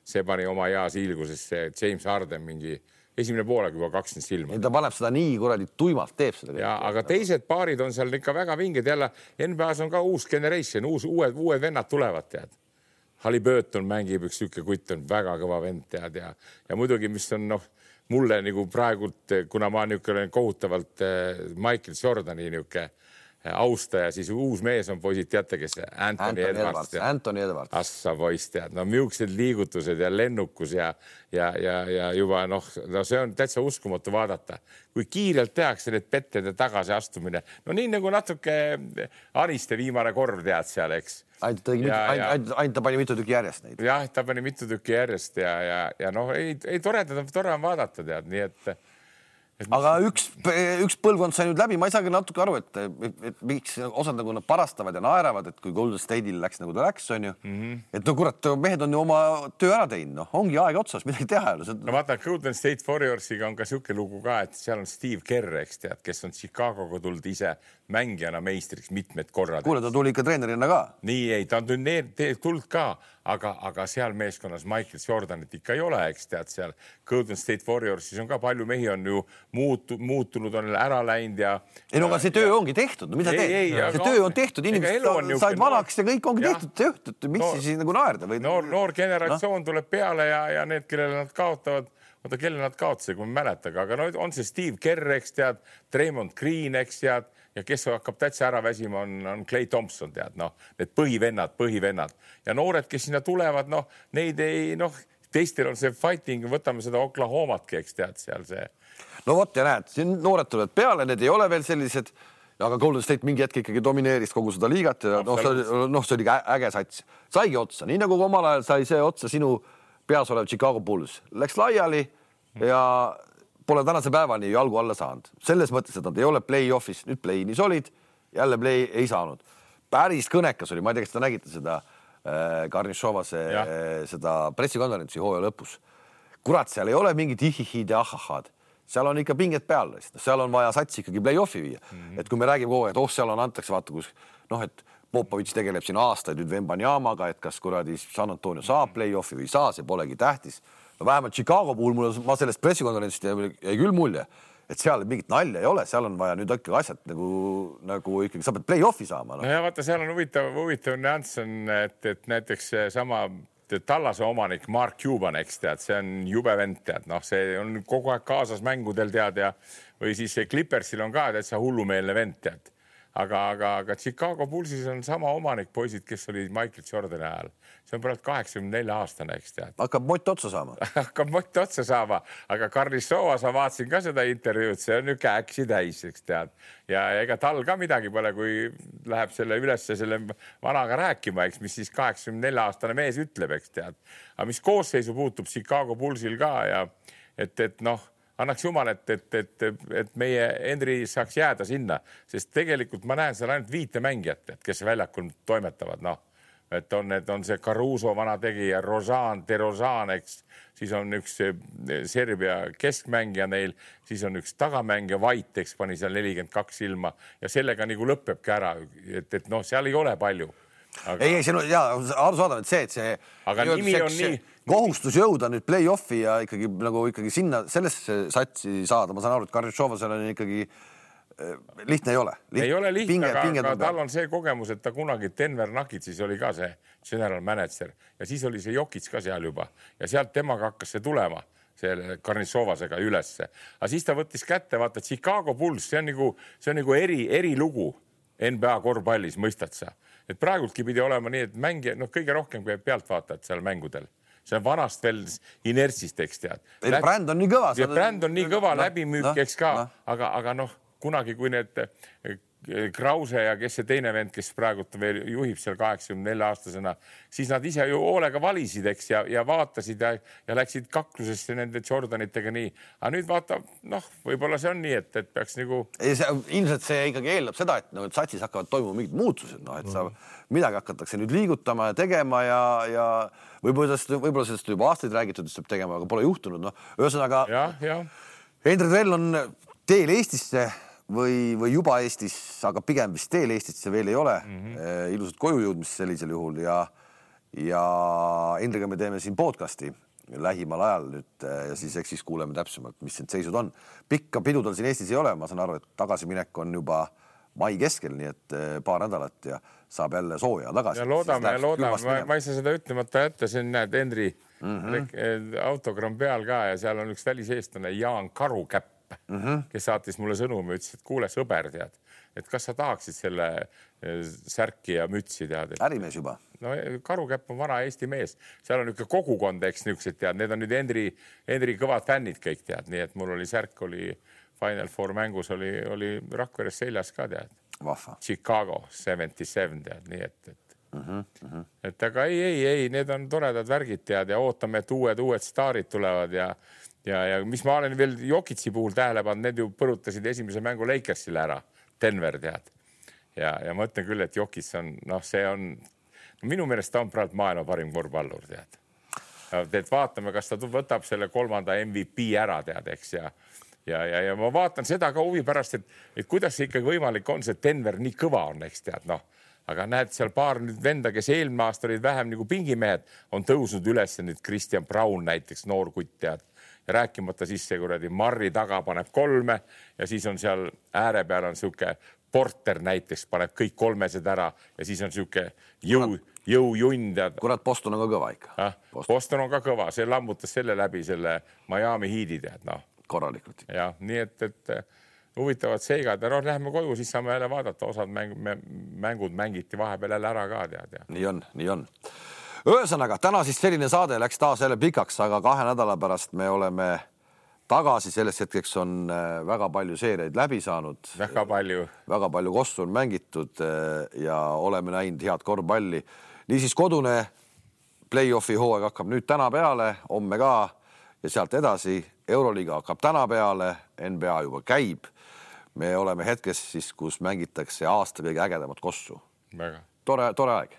see pani oma heas hiilguses see James Harden mingi esimene poolega juba 2 silma. Ta paneb seda nii kuradi tuimalt, teeb seda. Ja, aga teised paarid on seal ikka väga vinged. Jälle NBA-s on ka uus generation, uued vennad tulevad, tead. Halliburton mängib, üks siuke kutt on väga kõva vend, tead. Ja muidugi, mis on mulle nagu praegult, kuna ma olen kohutavalt Michael Jordani niuke austaja, siis uus mees on poisid, teate, kes Anthony Edwards. Assa poiss, tead. No miuksed liigutused ja lennukus ja juba see on täitsa uskumatu vaadata. Kui kiirelt tehakse need pettede tagasi astumine. No nii nagu natuke Aniste viimane korv tead seal, eks. Ainult ta pani mitu tükki järjest neid. Jah, ta pani mitu tükki järjest ja ei tore on vaadata, tead. Nii et aga üks põlvkond sai nüüd läbi, ma ei saagi natuke aru, et miks osad nagu nad parastavad ja naeravad, et kui Golden State'il läks nagu ta läks, on ju. Et kurat, mehed on ju oma töö ära teinud, ongi aeg otsas, midagi teha. No vaata, Golden State Warriorsiga on ka siuke lugu ka, et seal on Steve Kerr, eks tead, kes on Chicagoga tulnud ise mängijana meistriks mitmed korrad. Kuule, ta tuli ikka treenerina ka. Nii ei, ta on tulnud ka, aga seal meeskonnas Michael Jordanit ikka ei ole, eks tead, seal Golden State Warriorsis on ka palju mehi on ju muutunud, on ära läinud ja... Ei, no aga see töö ongi tehtud, no mida teed? See töö on tehtud, inimesed said vanaks ja kõik ongi tehtud, miks siis nagu naerda? Noor generatsioon tuleb peale ja need, kellele nad kaotavad, kelle nad kaotasid, kui ma mäletaga, aga on see Steve Kerr, eks tead, Draymond Green, eks tead, ja kes hakkab täitsa ära väsima, on Klay Thompson, tead, need põhivennad. Ja noored, kes sinna tulevad, neid ei, teistel on see fighting, võtame seda Oklahomatki, eks tead, seal see. No vot ja näed, siin noored tulevad peale, need ei ole veel sellised, aga Golden State mingi hetk ikkagi domineeris kogu seda liigat ja see oli äge sats. Saigi otsa, nii nagu omal ajal sai see otsa sinu peas olev Chicago Bulls. Läks laiali ja pole tänase päevani jalgu alla saanud. Selles mõttes, et nad ei ole play-offis, nüüd play-inis olid, jälle play ei saanud. Päris kõnekas oli, ma ei tea, kas te nägite seda Karnišovase seda pressikonverentsi hooaja lõpus. Kurat, seal ei ole mingid ihihid ja ahahad. Seal on ikka pinget peal. Seal on vaja satsi ikkagi play-offi viia. Et kui me räägime kogu aeg, et seal on antakse, vaata, kus, et Popovitš tegeleb siin aastaid nüüd Vembanyamaga, et kas kuradi San Antonio saab play-offi või saa, see polegi tähtis. No vähemalt Chicago puhul ma sellest pressikonverentsist jäi küll mulje, et seal mingit nalja ei ole, seal on vaja nüüd ikkagi asjad nagu ikkagi sa pead play-offi saama. No ja vaata, seal on huvitav nüanss on, et näiteks sama Tallase omanik Mark Cuban, eks tead, see on jube vend, tead, see on kogu aeg kaasas mängudel, tead, või siis Clippersil on ka täitsa hullumeelne vend, tead. Aga Chicago Bullsis on sama omanik poisid, kes oli Michael Jordani ajal. See on praegu 84 aastane, eks tead. Hakkab mott otsa saama. Hakkab mott otsa saama, aga Karnišova, sa vaatasin ka seda intervjuud, see on niuke äksi täis, eks tead. Ja ega tal ka midagi pole, kui läheb selle ülesse selle vanaga rääkima, eks, mis siis 84 aastane mees ütleb, eks tead. Aga mis koosseisu puutub Chicago Bullsil ka ja et annaks jumal, et meie Henry saaks jääda sinna, sest tegelikult ma näen seal ainult 5 mängijat, kes väljakul toimetavad, et on see Caruso vana tegija, DeRozan, eks, siis on üks Serbia keskmängija neil, siis on üks tagamängija, White, eks, pani seal 42 silma ja sellega nagu lõppebki ära, et seal ei ole palju. Aga... Ei, see on aru saadav, et see aga nimi on nii kohustus jõuda nüüd play-offi ja ikkagi sinna sellesse satsi saada. Ma saan aru, et Karnišova seal on ikkagi lihtne ei ole. Ei ole lihtne, aga tal on see kogemus, et ta kunagi Denver Nuggets oli ka see general manager ja siis oli see Jokic ka seal juba ja sealt temaga hakkas see tulema selle Karnišovasega ülesse. Aga siis ta võttis kätte, vaata Chicago Bulls, see on nagu eri lugu NBA korvpallis, mõistad sa. Et praegultki pidi olema nii, et mängija, kõige rohkem kui pealt vaatad seal mängudel. See on vanast veel inertsist, eks tead. Bränd on nii kõva. Bränd on nii kõva, läbimüük, eks ka, aga kunagi, kui need Krause ja kes see teine vend, kes praegult veel juhib seal 84-aastasena, siis nad ise ju hoolega valisid, eks, ja vaatasid ja läksid kaklusesse nende Jordanitega nii. Aga nüüd vaata, võib-olla see on nii, et peaks nagu... Ilmselt see ikkagi eeldab seda, et satsis hakkavad toimuma mingid muutused, et sa midagi hakatakse nüüd liigutama ja tegema ja võib-olla sellest juba aastaid räägitud, et saab tegema, aga pole juhtunud. Ühesõnaga, Hendrik Rell on teel Eestisse või juba Eestis, aga pigem vist teel Eestisse veel ei ole. Ilusad koju jõudmist sellisel juhul ja Hendriga me teeme siin podcasti lähimal ajal nüüd ja siis kuuleme täpsemalt, mis need seisud on. Pikka pidudel siin Eestis ei ole, ma saan aru, et tagasiminek on juba mai keskel, nii et paar nädalat ja saab jälle sooja tagasi. Ja loodame, ma ei saa seda ütlemata jätta, siin näed Henri autogramm peal ka ja seal on üks väliseestlane Jaan Karukäpp, kes saatis mulle sõnumi, ütles, et kuule sõber, tead, et kas sa tahaksid selle särki ja mütsi tead. Ärimees juba. No Karukäpp on vana Eesti mees, seal on niisugune kogukond, eks niisugused tead, need on nüüd Henri kõvad fännid kõik tead, nii et mul oli särk, oli Final Four mängus, oli Rakveres seljas ka tead. Vahva. Chicago 77 tead, nii et aga ei, need on toredad värgid tead ja ootame, et uued staarid tulevad ja mis ma olen veel Jokitsi puhul tähele pannud, need ju põrutasid esimese mängu Lakersile ära, Denver tead. Ja ma ütlen küll, et Jokits on, see on, minu meelest ta on praegu maailma parim korvpallur tead. Et vaatame, kas ta võtab selle 3. MVP ära tead, eks ja ma vaatan seda ka huvi pärast, et kuidas see ikkagi võimalik on, see Denver nii kõva on, eks tead, aga näed seal paar nüüd venda, kes eelmine aasta olid vähem nagu pingimehed, on tõusnud üles nüüd Christian Braun näiteks, noorkutt tead, ja rääkimata siis see kuradi Marri taga paneb 3 ja siis on seal ääre peal on siuke Porter näiteks, paneb kõik 3 ära ja siis on siuke jõujunn tead. Kurat, Boston on ka kõva ikka. Boston on ka kõva, see lammutas selle läbi selle Miami Heat'i tead, korralikult. Ja nii et huvitavad seigad ja läheme koju, siis saame jälle vaadata, osad mängud mängiti vahepeal jälle ära ka tead. Nii on. Ühesõnaga, täna siis selline saade läks taas jälle pikaks, aga 2 nädala pärast me oleme tagasi, selles hetkeks on väga palju seeriaid läbi saanud. Väga palju kossu on mängitud ja oleme näinud head korvpalli. Niisiis kodune play-offi hooaeg hakkab nüüd täna peale, homme ka ja sealt edasi Euroliiga hakkab täna peale, NBA juba käib. Me oleme hetkes siis, kus mängitakse aasta kõige ägedamat kossu. Tore aeg.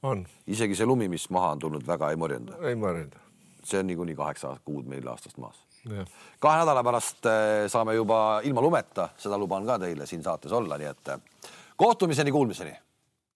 On. Isegi see lumi, mis maha on tulnud, väga ei morjenda. Ei morjenda. See on niikuinii 8 kuud meil aastast maas. 2 nädala pärast saame juba ilma lumeta, seda luban ka teile siin saates olla, nii et kohtumiseni, kuulmiseni.